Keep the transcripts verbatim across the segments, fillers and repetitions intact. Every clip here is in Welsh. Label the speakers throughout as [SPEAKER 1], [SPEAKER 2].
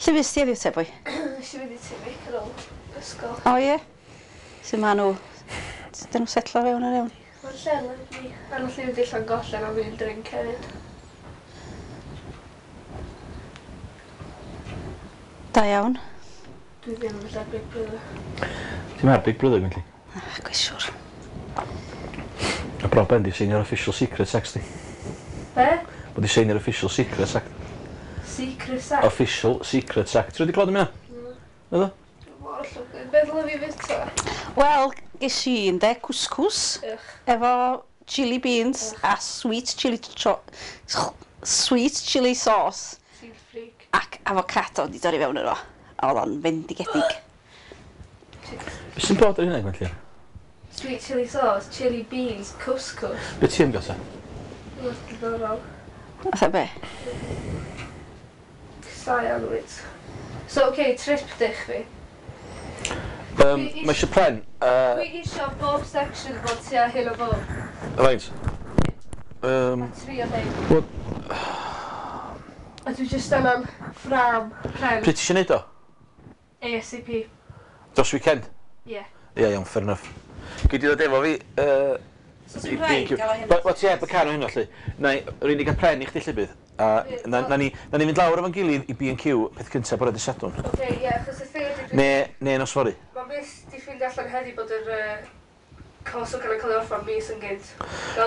[SPEAKER 1] Lle fes ti heddiw te, boi?
[SPEAKER 2] Nes i fynd i T V ar ôl ysgol.
[SPEAKER 1] O ie? Sut maen nhw? Dyn nhw'n setlo fewn yn iawn?
[SPEAKER 2] Mae'r lle yn lyfli. A nath i fynd i Llangollen am un drink hefyd.
[SPEAKER 1] Da iawn.
[SPEAKER 2] Dwi ddim yn mynd ar Big Brother.
[SPEAKER 3] Ti'n ar Big Brother, Gwenlli?
[SPEAKER 1] Ah, gwrs siwr.
[SPEAKER 3] Y broblem di seinio'r Official Secrets Act, di.
[SPEAKER 2] Be?
[SPEAKER 3] Bod di seinio'r Official Secrets Act.
[SPEAKER 2] Secret Act?
[SPEAKER 3] Official Secrets Act. Ti wedi clywed am hynna? Na. Naddo?
[SPEAKER 2] Mor llwglyd. Be ddylai fi fwyta?
[SPEAKER 1] Wel, ges i ynde, couscous.
[SPEAKER 2] Ych.
[SPEAKER 1] Efo chili beans.
[SPEAKER 2] Ych.
[SPEAKER 1] A sweet chili, sweet chili sauce.
[SPEAKER 2] Ti'n freak.
[SPEAKER 1] Ac avocado di dorri fewn iddo. A oedd o'n fendigedig.
[SPEAKER 3] Be sy'n bod ar hynna, Gwenlli?
[SPEAKER 2] Sweet chili sauce, chili beans, couscous.
[SPEAKER 3] Be ti am gael ta?
[SPEAKER 2] Mae'n diddorol.
[SPEAKER 1] Fatha be?
[SPEAKER 2] Casau annwyd. So, oce, okay, triptych fi.
[SPEAKER 3] Um, mae eisiau pren. Uh,
[SPEAKER 2] Dwi eisiau bob section fod tua hyn o bob.
[SPEAKER 3] Faint? Um,
[SPEAKER 2] Tri o ddeud.
[SPEAKER 3] Wel...
[SPEAKER 2] A dwi jyst angen ffram pren.
[SPEAKER 3] Pryd ti eisiau neud o?
[SPEAKER 2] A S A P.
[SPEAKER 3] Dros weekend?
[SPEAKER 2] Ie. Yeah.
[SPEAKER 3] Ie, yeah, iawn, fair enough. Gei di ddod efo fi... Uh,
[SPEAKER 1] So sy'n rhaid gael o hyn?
[SPEAKER 3] Wel, ti heb y car o hynna, lly. Na, yr unig gael pren i chdi lle bydd. A na, na, ni, na ni fynd lawr efo'n gilydd i B and Q peth cyntaf bore dydd Sadwrn.
[SPEAKER 2] Oce, ie, achos y thing ydi...
[SPEAKER 3] Ne, ne nos fory.
[SPEAKER 2] Mae mis di ffeindio allan heddi bod yr uh, cos o cael ei cael ei orffan mis yn gynt.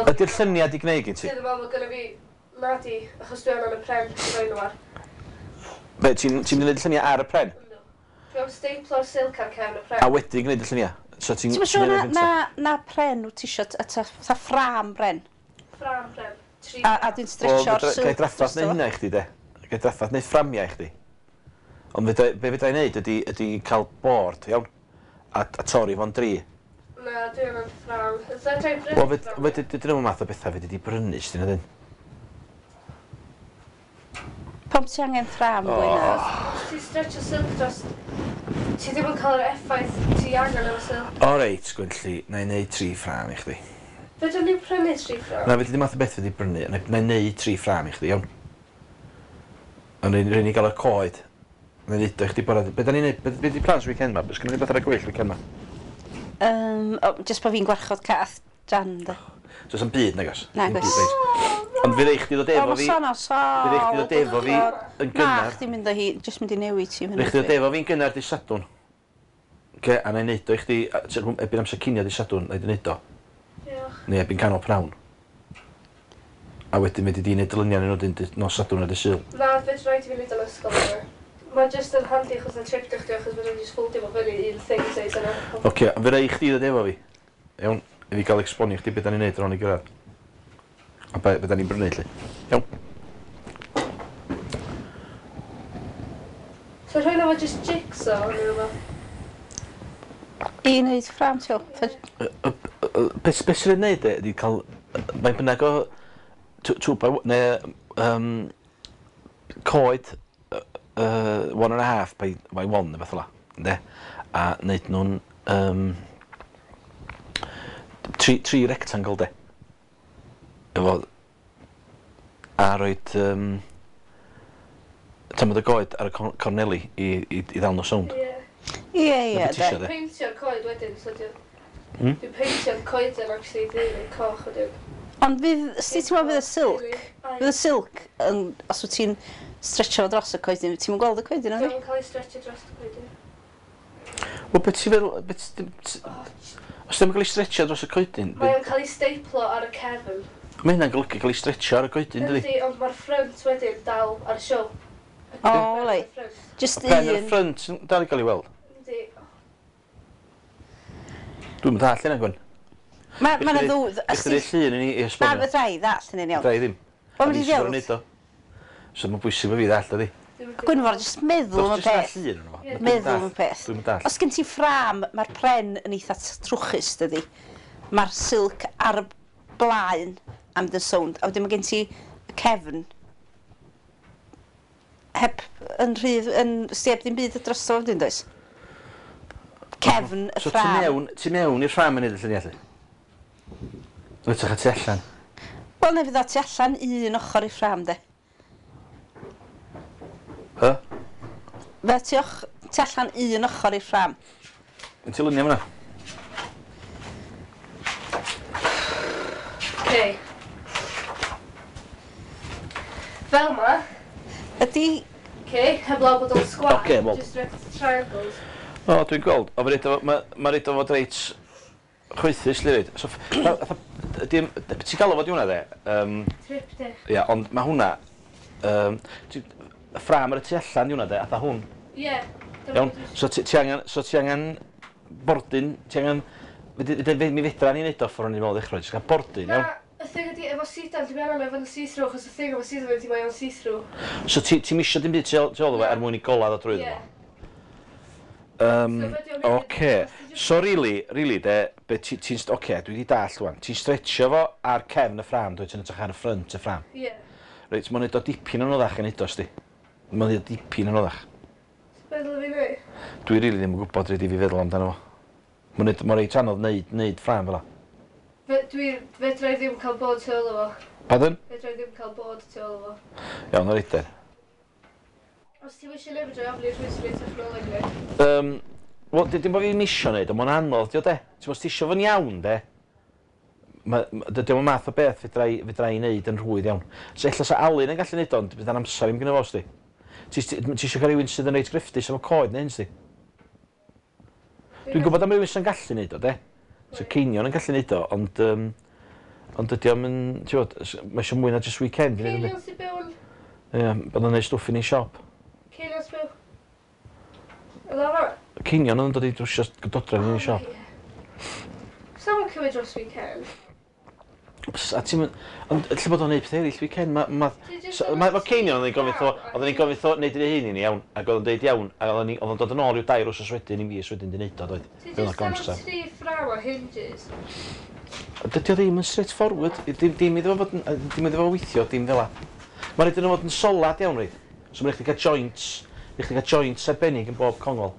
[SPEAKER 3] Ydy'r lluniau di gwneud gen ti?
[SPEAKER 2] Sydd yn meddwl bod gynna fi nadi, achos dwi angen y pren i roi nhw ar.
[SPEAKER 3] Be, ti'n ti mynd i wneud y lluniau ar y pren?
[SPEAKER 2] No. Dwi am staplo'r silk ar cefn y pren.
[SPEAKER 3] A wedyn gwneud y lluniau? So ti'n
[SPEAKER 1] Ti'n siŵr na, na, na pren wyt ti isio, fatha ffrâm bren?
[SPEAKER 2] Ffrâm pren. Tri.
[SPEAKER 1] A, a dwi'n stretcho'r silk.
[SPEAKER 3] Gai draffath neu hynna i chdi, de. Gai draffath neu fframiau i chdi. Ond be fedra i wneud ydy, ydy cael board, iawn? A, a torri fo'n dri.
[SPEAKER 2] Na, dwi angen ffrâm. Fedra i brynu ffrâm?
[SPEAKER 3] Wel, dyn nhw'n math o bethau fedri di brynu, sdyn nhw.
[SPEAKER 1] Pam ti angen ffrâm, bwy na?
[SPEAKER 2] Os ti'n stretcho silk dros... Ti ddim yn cael yr effaith ti angen efo silk.
[SPEAKER 3] O reit, Gwenlli, na i wneud tri ffrâm i chdi.
[SPEAKER 2] Fedrwn ni prynu tri ffrâm?
[SPEAKER 3] Na, fedri di math o beth fedri brynu. Na i wneud tri ffrâm i chdi, iawn. Ond rhaid ni gael y coed. Na i wneud o i chdi bore. Be da ni'n neud? Be, be di plans weekend ma? Be sgynno ni beth ar y gweill weekend ma?
[SPEAKER 1] Um, oh, just bod fi'n gwarchod cath Jan, de.
[SPEAKER 3] So, am byd, nagos?
[SPEAKER 1] Nagos.
[SPEAKER 3] Ond fe rei chdi ddod efo fi...
[SPEAKER 1] O, ma sôn
[SPEAKER 3] Fe rei chdi ddod efo fi yn gynnar.
[SPEAKER 1] Na, chdi'n mynd o hi, jyst mynd i newid ti.
[SPEAKER 3] Rei chdi ddod efo fi'n gynnar di Sadwrn. Oce, a na i neud o i chdi, erbyn amser cinio di Sadwrn, na i di neud o.
[SPEAKER 2] Diolch.
[SPEAKER 3] Neu erbyn canol pnawn. A wedyn fedri di neud dyluniau nhw dyn nos Sadwrn a dy Sul.
[SPEAKER 2] Na, fed rhaid i fi neud o'n ysgol yma. Mae jyst yn handi achos na trip chdi achos fedra i jyst ffoldio fo fyny un thing size yna.
[SPEAKER 3] Oce, fe rei chdi ddod efo fi. Iawn, i fi gael esbonio chdi beth da ni'n neud ar ôl i gyrraedd. A be, be da ni'n brynu, lly. Iawn.
[SPEAKER 2] So rhaid efo jyst jigsaw neu rhywbeth?
[SPEAKER 1] I wneud ffrâm, ti'n
[SPEAKER 3] gwybod? Be sy'n ei wneud e, ydy cael... Mae'n bynnag o... Two by... Neu... Um, coed... Uh, one and a half by, by one, neu beth ola. Ynde? A wneud nhw'n... Um, tri, tri rectangle, de. Efo... A roed... Um, tamad y goed ar y corneli i, i, i ddal nhw sownd.
[SPEAKER 2] Ie.
[SPEAKER 1] Ie, ie, de.
[SPEAKER 2] Dwi'n peintio'r coed wedyn, so dwi'n... Dwi'n peintio'r coeden, actually, dwi'n coch wedyn.
[SPEAKER 1] Ond fydd, sut ti'n meddwl fydd y silk? Fydd y silk, yn, os wyt ti'n stretcho fo dros y coedyn, ti'n gweld y coedyn, oedd?
[SPEAKER 2] Dwi'n cael ei stretcho dros y coedyn.
[SPEAKER 3] Wel, beth ti'n feddwl... Os ddim yn cael ei stretcho dros y coedyn...
[SPEAKER 2] Mae o'n cael ei staplo ar y cefn.
[SPEAKER 3] Mae hynna'n golygu cael ei stretcho ar y coedyn, dydi?
[SPEAKER 2] Yndi, ond mae'r ffrynt wedyn dal ar y show.
[SPEAKER 1] O, le. Just un...
[SPEAKER 3] Pen ar y ffrynt yn dal i gael ei weld?
[SPEAKER 2] Yndi.
[SPEAKER 3] Dwi'n mynd all hynna, Gwen.
[SPEAKER 1] Mae ma 'na ddw...
[SPEAKER 3] Ych chi'n llun i ni i esbonio?
[SPEAKER 1] Na, fedra i ddall hynny'n iawn.
[SPEAKER 3] Fedra i ddim.
[SPEAKER 1] Wel, mynd i ddeud.
[SPEAKER 3] So mae'n bwysig bod fi ddall, dydi?
[SPEAKER 1] Gwynfor, jyst meddwl am y peth. Meddwl am y peth.
[SPEAKER 3] Dwi'n mynd all.
[SPEAKER 1] Os gen ti ffrâm, mae'r pren yn eitha trwchus, dydi? Mae'r silk ar y blaen am dy sownd, a wedyn mae gen ti y cefn heb yn rhydd, yn steb ddim byd drosto wedyn, does? Cefn y
[SPEAKER 3] So
[SPEAKER 1] ffrâm.
[SPEAKER 3] ti mewn, ti mewn i'r ffrâm yn neud y lluniau, lly? Wytach a tu allan.
[SPEAKER 1] Wel, neu fydd o tu allan un ochr i'r ffrâm, de.
[SPEAKER 3] Hy?
[SPEAKER 1] Fe ti och, ti allan un ochr i'r ffram.
[SPEAKER 3] Yn ti luniau fyna?
[SPEAKER 2] Okay. Fel ma.
[SPEAKER 1] Ydy...
[SPEAKER 2] Okay, heblaw bod o'n sgwâr.
[SPEAKER 3] Okay, well.
[SPEAKER 2] Just rect triangles.
[SPEAKER 3] O, dwi'n gweld. O, mae ma reid o fod reit chwythus, li reid. So, ti'n galw fod i hwnna, de? Um,
[SPEAKER 2] Triptych.
[SPEAKER 3] Ia, ond mae hwnna... Um, ti, y ffram ar y tu allan i hwnna, de, atha hwn.
[SPEAKER 2] Ie. Yeah.
[SPEAKER 3] Iawn, so ti, ti angen, so ti angen bordyn, ti angen... Mi fedra ni wneud o ffordd o'n i'n meddwl ddechrau, jyst cael bordyn, iawn?
[SPEAKER 2] Na, y thing ydi, efo sidan, ti'n meddwl efo see-through, achos y thing efo sidan ydi mae o'n see-through.
[SPEAKER 3] So ti, ti'n misio dim byd tu ôl iddo fo er mwyn i gola ddod drwyddo
[SPEAKER 2] Ie.
[SPEAKER 3] fo? Um,
[SPEAKER 2] So
[SPEAKER 3] Oce, so really, really de, be ti, ti'n, oce, dwi wedi dallt wan, ti'n stretchio fo ar cefn y ffram, dwi ti'n edrych ar y ffrynt y ffram.
[SPEAKER 2] Ie.
[SPEAKER 3] Reit, mae'n neud o dipyn yn oddach yn neud o, sti. Mae'n neud o dipyn yn oddach.
[SPEAKER 2] Be ddylai fi neud?
[SPEAKER 3] Dwi rili ddim yn gwybod rhaid i fi feddwl amdano fo. Mae'n neud, mae'n reit anodd neud, neud ffram fel 'a.
[SPEAKER 2] Fe, dwi, fedra i ddim cael bod tu ôl o fo.
[SPEAKER 3] Pardon?
[SPEAKER 2] Fedra i ddim cael bod tu ôl o fo.
[SPEAKER 3] Iawn, o'r eider.
[SPEAKER 2] Os ti'n eisiau neud, fedra i ofyn i'r rhywun sy'n neud technoleg ni.
[SPEAKER 3] Um, Wel, dim bod fi'n isio neud, ond mae'n anodd, dio de. Ti'n os ti isio fo'n iawn, de, ma, ma, dydy o'm math o beth fedra i, fedra i neud yn rhwydd iawn. So ella sa Alun yn gallu neud o, ond bydd o'n amser i'm gynno fo, sti. Ti ti isio cael rhywun sydd yn reit grefftus efo coed neu hyn, sti. Dwi'n gwybod am rhywun sy'n gallu neud o, de. So Ceinion yn gallu neud o, ond, um, ond dydy o'm yn, ti'n gwbod, mae eisiau mwy na just weekend i neud
[SPEAKER 2] Ceinion sy'n byw yn...
[SPEAKER 3] Ie, bod o'n neud stwff yn ei siop.
[SPEAKER 2] Ceinion sy'n byw... Oedd o fan'na?
[SPEAKER 3] Ceinion oedd yn dod i drwsio dodrefn yn ei siop.
[SPEAKER 2] Sa'n mwyn cymryd dros weekend?
[SPEAKER 3] A ti'n mynd... Ond lle bod o'n neud peth eraill weekend, ma... ma
[SPEAKER 2] so,
[SPEAKER 3] ma, ma Ceinion oedd yn gofyn wrtho, oedd yn gofyn wrtho neud ei hun i ni, iawn, ac oedd o'n deud iawn, ac oedd o'n dod yn ôl rhyw dair wsos wedyn i mis wedyn di neud o, doedd.
[SPEAKER 2] Ti jyst angen tri ffram o hinges.
[SPEAKER 3] Dydy o ddim yn straight forward, dim, dim iddo fo fod yn, dim iddo fo weithio, dim fel 'a. Mae'n rhaid iddo fod yn solad iawn, reid. So mae'n rhaid chdi cael joints, rhaid chdi cael joints arbennig yn bob congol.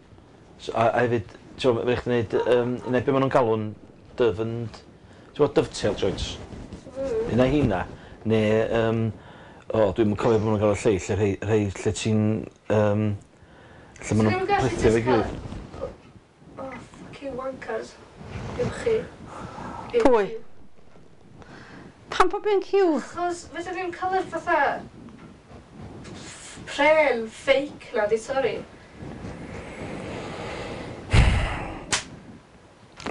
[SPEAKER 3] So, a, a hefyd, ti'n gwbod, mae'n rhaid chdi neud, um, neu be maen nhw'n galw'n dove and, ti'n gwbod, dovetail joints. Mm. Un o heina, neu, um, o, dwi'n cofio bod nhw'n gael y lleill, y rhei, rhei lle ti'n, um, lle maen nhw'n plethu efo'i gilydd.
[SPEAKER 2] Oh, fucking wankers. Dim chi.
[SPEAKER 1] Pwy? Pam bod fi'n cyw?
[SPEAKER 2] Achos fedra ddim cael yr fatha pren fake na, di torri.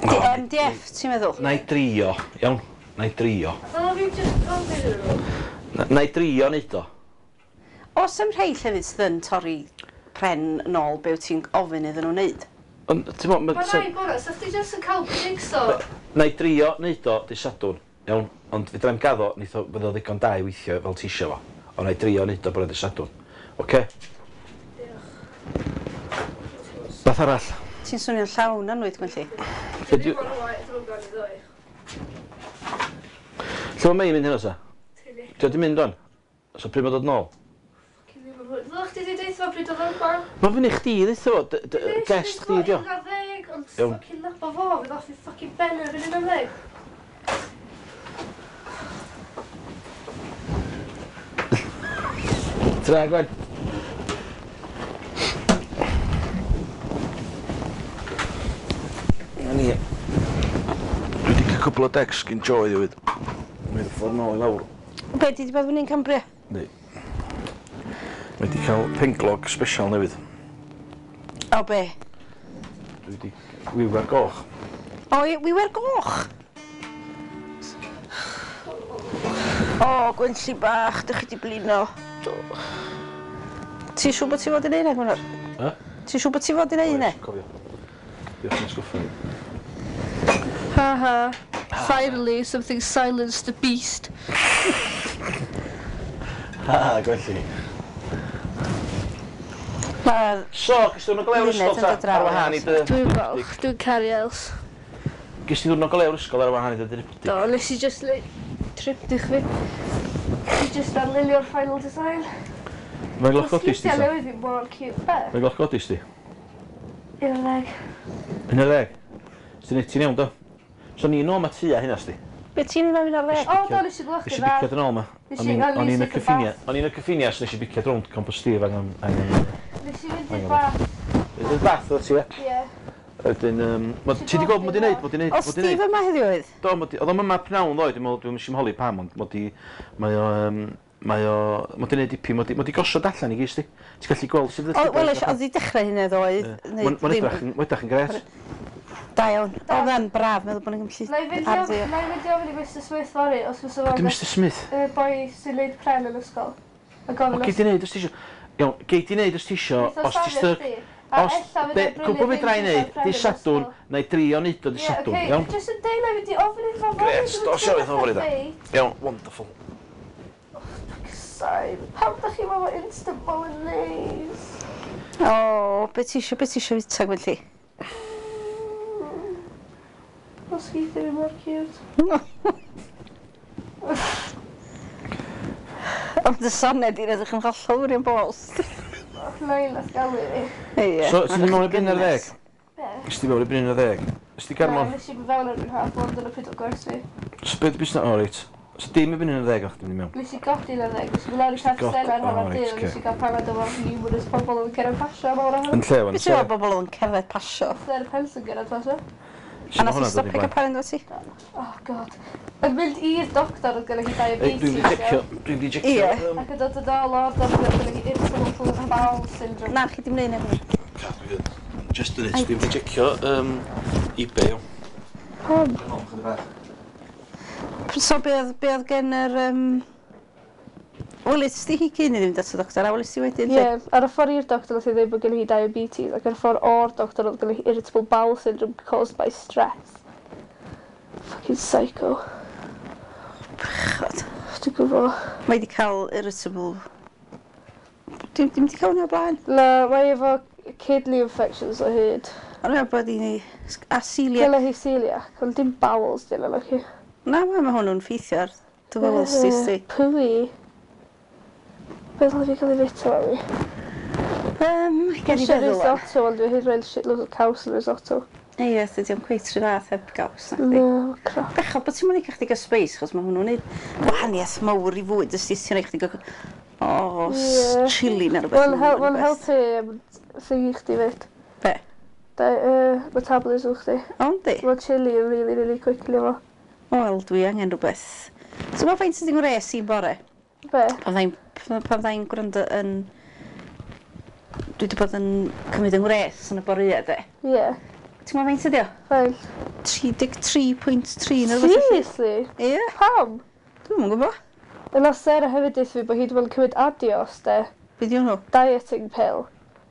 [SPEAKER 1] Di M D F, ti'n meddwl?
[SPEAKER 3] Na i drio, iawn. Na i drio.
[SPEAKER 2] Ddyla fi just gofyn iddyn nhw.
[SPEAKER 3] Na i drio neud o.
[SPEAKER 1] Oes am rhai llefydd sydd yn torri pren nôl be wyt ti'n ofyn iddyn nhw wneud?
[SPEAKER 3] Ond, ti'n mo...
[SPEAKER 2] Mae rai bora, sa chdi jyst yn cael jigsaw.
[SPEAKER 3] Na i drio neud o dy Sadwrn, iawn, ond fedra i'm gaddo, neith o, fydd o ddigon da i weithio fel ti isio fo. Ond na i drio neud o bore dy Sadwrn. Oce?
[SPEAKER 2] Diolch.
[SPEAKER 3] Beth arall?
[SPEAKER 1] Ti'n swnio'n llawn anwyd, Gwenlli.
[SPEAKER 2] Dwi ddim yn rhoi, dwi'n gwybod i ddoi.
[SPEAKER 3] Lle mae Mei'n mynd heno sa? Ti wedi mynd o'n? So pryd mae'n dod nôl?
[SPEAKER 2] Fucking ddim yn hwyr. Ddylech chdi wedi deutha fo pryd oedd o'n yma?
[SPEAKER 3] Mae fyny chdi ddeutha fo, guest chdi dio.
[SPEAKER 2] Un ar ddeg, ond fucking nabo fo, fydd off i fucking ben erbyn un ar ddeg.
[SPEAKER 3] Tra, Gwen. Na ni. Dwi wedi cael cwpl o decks gyn Joe ddiwyd. Mae'n ffordd nôl i lawr.
[SPEAKER 1] Be, di di bod fyny'n Cambria?
[SPEAKER 3] Yndi. Mae wedi cael penglog special newydd.
[SPEAKER 1] O be?
[SPEAKER 3] Dwi wedi wiwer goch.
[SPEAKER 1] O, wiwer goch? O, Gwenlli bach, dych chi di blino. Do. Ti'n siŵr bod ti fod i neud e, Gwynfor?
[SPEAKER 3] Ha?
[SPEAKER 1] Ti'n siŵr bod ti fod i neud e?
[SPEAKER 3] Cofio. Diolch yn sgwffa.
[SPEAKER 2] Ha ha. Finally, something silenced the beast.
[SPEAKER 3] Ha, Gwenlli.
[SPEAKER 1] Mae...
[SPEAKER 3] So, gys ti ddwrnod go lew ysgol ta? Ar wahân i dy...
[SPEAKER 2] Dwi'n falch, dwi'n caru Els.
[SPEAKER 3] Gys ti ddwrnod go lew'r ysgol ar wahân i dy driptych?
[SPEAKER 2] Do, nes i just le... triptych fi. Nes i just arlunio'r final design.
[SPEAKER 3] Mae'n gloch godis ti,
[SPEAKER 2] ta? Newydd fi mor cute. Be?
[SPEAKER 3] Mae'n gloch godis ti?
[SPEAKER 2] Un ar ddeg.
[SPEAKER 3] Un ar ddeg? Ti'n ti'n iawn, do? So ni'n ôl ma tua hynna, sti?
[SPEAKER 1] Be ti'n un ar ddeg?
[SPEAKER 2] O, do, nes i glwch
[SPEAKER 3] Nes i biciad yn ôl ma.
[SPEAKER 2] Nes i
[SPEAKER 3] O'n i'n y cyffinia. O'n i'n y cyffinia, so nes i biciad rownd Compostela angen...
[SPEAKER 2] Nes i fynd Fynd i'r bath.
[SPEAKER 3] Fynd i'r bath o ti, ie?
[SPEAKER 2] Ie.
[SPEAKER 3] Wedyn, um, ma, ti di gweld mod i neud, mod i neud,
[SPEAKER 1] O,
[SPEAKER 3] mod i neud.
[SPEAKER 1] Steve yma heddiw oedd?
[SPEAKER 3] Do, mod i, oedd o'm yma pnawn ddoe, dwi'n meddwl, dwi'n mysio holi pam, ond mod i, mae o, um, mae o, mod i neud dipyn, mod i, mod i gosod allan i gyd, sti. Ti'n gallu gweld sydd
[SPEAKER 1] O, wel, oedd i dechrau hynny ddoe.
[SPEAKER 3] Mae'n edrych, mae'n edrych yn gret.
[SPEAKER 1] Da iawn. Oedd e'n braf, meddwl bod ni'n gallu
[SPEAKER 2] Na i fynd i
[SPEAKER 1] arddio.
[SPEAKER 2] na i fynd i ofyn i Mister Smith fory, os fysa fo'n
[SPEAKER 3] Ydy Mister Smith?
[SPEAKER 2] Y boi sy'n neud pren yn ysgol. A
[SPEAKER 3] O,
[SPEAKER 2] gofyn
[SPEAKER 3] gei di neud os ti isio. Iawn, gei di neud os ti isio,
[SPEAKER 2] Neith o
[SPEAKER 3] os ti
[SPEAKER 2] safio
[SPEAKER 3] styc.
[SPEAKER 2] chdi. A
[SPEAKER 3] Os,
[SPEAKER 2] ella
[SPEAKER 3] be,
[SPEAKER 2] fydd o'n
[SPEAKER 3] cwbl
[SPEAKER 2] brynu
[SPEAKER 3] fedra i
[SPEAKER 2] things
[SPEAKER 3] neud,
[SPEAKER 2] pren
[SPEAKER 3] di
[SPEAKER 2] yn
[SPEAKER 3] Sadwrn,
[SPEAKER 2] ysgol.
[SPEAKER 3] na i drio neud o di
[SPEAKER 2] Ie,
[SPEAKER 3] Sadwrn,
[SPEAKER 2] ocê,
[SPEAKER 3] iawn?
[SPEAKER 2] Jyst yn deud na i fynd i ofyn iddo fo fory.
[SPEAKER 3] Gret, dos i ofyn iddo fo fory, da. Iawn, wonderful.
[SPEAKER 2] Sorry, pam da chi efo instant bolognese?
[SPEAKER 1] O, be ti isio, be ti isio fita, Gwenlli?
[SPEAKER 2] Os geith i fi mor cute.
[SPEAKER 1] Ond y soned i'n edrych yn hollol wirion bost.
[SPEAKER 2] Nain nath galw fi.
[SPEAKER 1] Ie.
[SPEAKER 3] So, ti'n mynd mewn i byn ar ddeg?
[SPEAKER 2] Be?
[SPEAKER 3] Ys ti mewn i byn ar ddeg? Ys ti garmon?
[SPEAKER 2] Na, nes i mynd fewn erbyn half one, dyna pryd o gwersi.
[SPEAKER 3] So beth busnes? O, reit. So dim i byn ar ddeg o'ch ti'n mynd mewn?
[SPEAKER 2] Nes i godi yn y ddeg, nes i mynd lawr i
[SPEAKER 3] Godi-
[SPEAKER 2] Caffi Stella ar
[SPEAKER 3] o,
[SPEAKER 2] hanner
[SPEAKER 3] reit,
[SPEAKER 2] dydd,
[SPEAKER 3] ocê.
[SPEAKER 2] nes i gael panad efo numerous pobl oedd yn cerdded pasio am awr a hanner.
[SPEAKER 3] Yn lle, wan?
[SPEAKER 1] Be ti'n meddwl bobl oedd yn cerdded pasio?
[SPEAKER 2] Sarah Penson gerdded pasio.
[SPEAKER 1] A nath i stopio cael panad efo ti?
[SPEAKER 2] Oh god. Yn mynd i'r doctor oedd gyda hi diabetes.
[SPEAKER 3] Dwi'n di jecio, dwi'n di jecio.
[SPEAKER 1] Ie.
[SPEAKER 3] yym,
[SPEAKER 2] Ac yn dod yn ôl o'r doctor oedd gyda hi irritable bowel syndrome.
[SPEAKER 1] Na, chi dim neud neb.
[SPEAKER 3] Just a minute, dwi'n di jecio um, eBay. iawn.
[SPEAKER 2] Pam?
[SPEAKER 1] So be oedd, be oedd gen yr... Um... Welis ti hi cyn i fynd at y doctor, a welis ti wedyn?
[SPEAKER 2] Ie, ar y ffordd i'r doctor nath i ddweud bod gen hi diabetes, ac ar y ffordd o'r doctor oedd gen hi irritable bowel syndrome caused by stress. Fucking psycho.
[SPEAKER 1] Bechod.
[SPEAKER 2] Dwi'n gwybod.
[SPEAKER 1] Mae wedi cael irritable... Dim, dim wedi cael hwnna o blaen.
[SPEAKER 2] Na, mae efo kidney infections o hyd.
[SPEAKER 1] Ond mae'n bod i ni... A celiac.
[SPEAKER 2] Gyda hi celiac, ond dim bowels dyn nhw, chi.
[SPEAKER 1] Na, mae ma hwnnw'n ffeithio ar dy bowels ti, sti.
[SPEAKER 2] Pwy? Beth ddylai fi cael ei fita fi?
[SPEAKER 1] Um, gen i
[SPEAKER 2] Eisiau
[SPEAKER 1] feddwl wan.
[SPEAKER 2] risotto, ond dwi'n hyd roi'n shitloads o caws yn risotto.
[SPEAKER 1] Ie, dydy o'm cweit rhy fath heb gaws, na chdi.
[SPEAKER 2] No, crap.
[SPEAKER 1] Bechod bod ti'n mynd i chdi gael space, chos mae hwnnw'n neud gwahaniaeth mawr i fwyd, ysdi ti'n rhaid chdi gael... O,
[SPEAKER 2] Ie.
[SPEAKER 1] chili neu rhywbeth.
[SPEAKER 2] Mae'n hel mae'n helpu um, thingy chdi fyd.
[SPEAKER 1] Be?
[SPEAKER 2] Da, uh, metabolism chdi.
[SPEAKER 1] O, yndi?
[SPEAKER 2] Mae chili yn really, really quickly efo.
[SPEAKER 1] Wel, dwi angen rhywbeth. So mae faint sydd yn ngwres i'n bore?
[SPEAKER 2] Be?
[SPEAKER 1] Pan fyddai'n pan fyddai'n gwrando yn... Dwi wedi bod yn cymryd yng ngwres yn y boreau, de.
[SPEAKER 2] Ie. Yeah.
[SPEAKER 1] Ti'n gwybod faint ydi o?
[SPEAKER 2] Faint.
[SPEAKER 1] tri deg tri pwynt tri neu rhywbeth. felly.
[SPEAKER 2] Seriously?
[SPEAKER 1] Ie,
[SPEAKER 2] Pam?
[SPEAKER 1] dwi'm yn gwybod.
[SPEAKER 2] Yna Sarah hefyd deutha fi bod hi wedi bod yn cymryd Adios, de.
[SPEAKER 1] Be di hwnnw?
[SPEAKER 2] Dieting pill.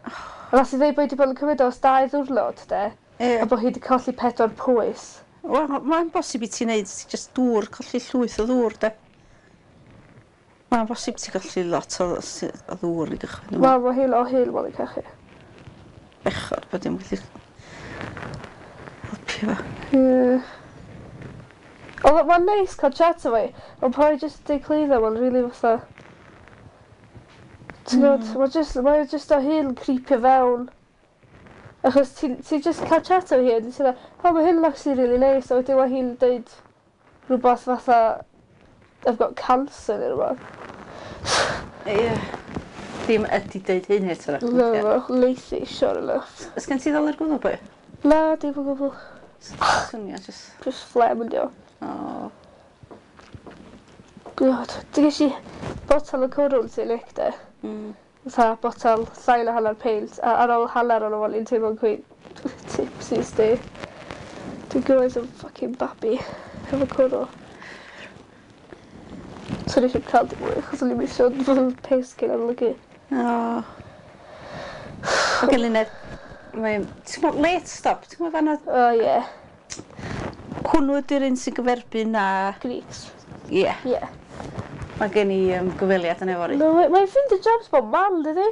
[SPEAKER 2] A nath hi ddeud bod hi wedi bod yn cymryd o ers dau ddiwrnod, de.
[SPEAKER 1] Ie.
[SPEAKER 2] A bod hi wedi colli pedwar pwys.
[SPEAKER 1] Wel, mae'n bosib i ti wneud just dŵr, colli llwyth o ddŵr, de. Mae'n bosib ti golli lot o, o ddŵr i gychwyn. Wel,
[SPEAKER 2] Wel, mae hi'n o hyn mae'n cachu.
[SPEAKER 1] bechod bod dim gallu helpu fo.
[SPEAKER 2] Ie. Ond mae'n neis cael chat efo hi, ond pan i just deud clwyddo, mae'n really fatha... Ti'n gwybod, mae'n just, mae'n just o hyn creepio fewn. Achos ti, ti just cael chat efo hi, a ti'n dweud, oh, mae hyn actually really nice, a wedyn mae hi'n deud rhywbeth fatha, I've got cancer neu rhywbeth.
[SPEAKER 1] Ie. Ddim ydi deud hyn eto.
[SPEAKER 2] No, no, Lacey, sure enough.
[SPEAKER 1] Ys gen ti ddol ar gwddw boi?
[SPEAKER 2] Na, dim o gwbl.
[SPEAKER 1] Swnio, just...
[SPEAKER 2] Just phlegm yn dio.
[SPEAKER 1] O.
[SPEAKER 2] God, dwi ges i botel o cwrw ti'n lic de.
[SPEAKER 1] Mm.
[SPEAKER 2] Fatha botel llai na hanner peint, a ar ôl hanner o'n o'n i'n teimlo'n quite tipsy sti. Dwi'n gymaint o fucking babi efo cwrw. So nes i'm cael dim mwy, achos o'n i'n misio fod yn piss cyn amlygu.
[SPEAKER 1] O. O Gelynedd, mae... Ti'n gwybod, late stop, ti'n gwybod fanna?
[SPEAKER 2] O ie,
[SPEAKER 1] Hwnnw ydy'r un sy'n gyferbyn a...
[SPEAKER 2] Greeks.
[SPEAKER 1] Ie.
[SPEAKER 2] Ie.
[SPEAKER 1] Mae gen i um, gyfweliad yn efory.
[SPEAKER 2] No, mae- mae'n ffeindio jobs bob man, dydi?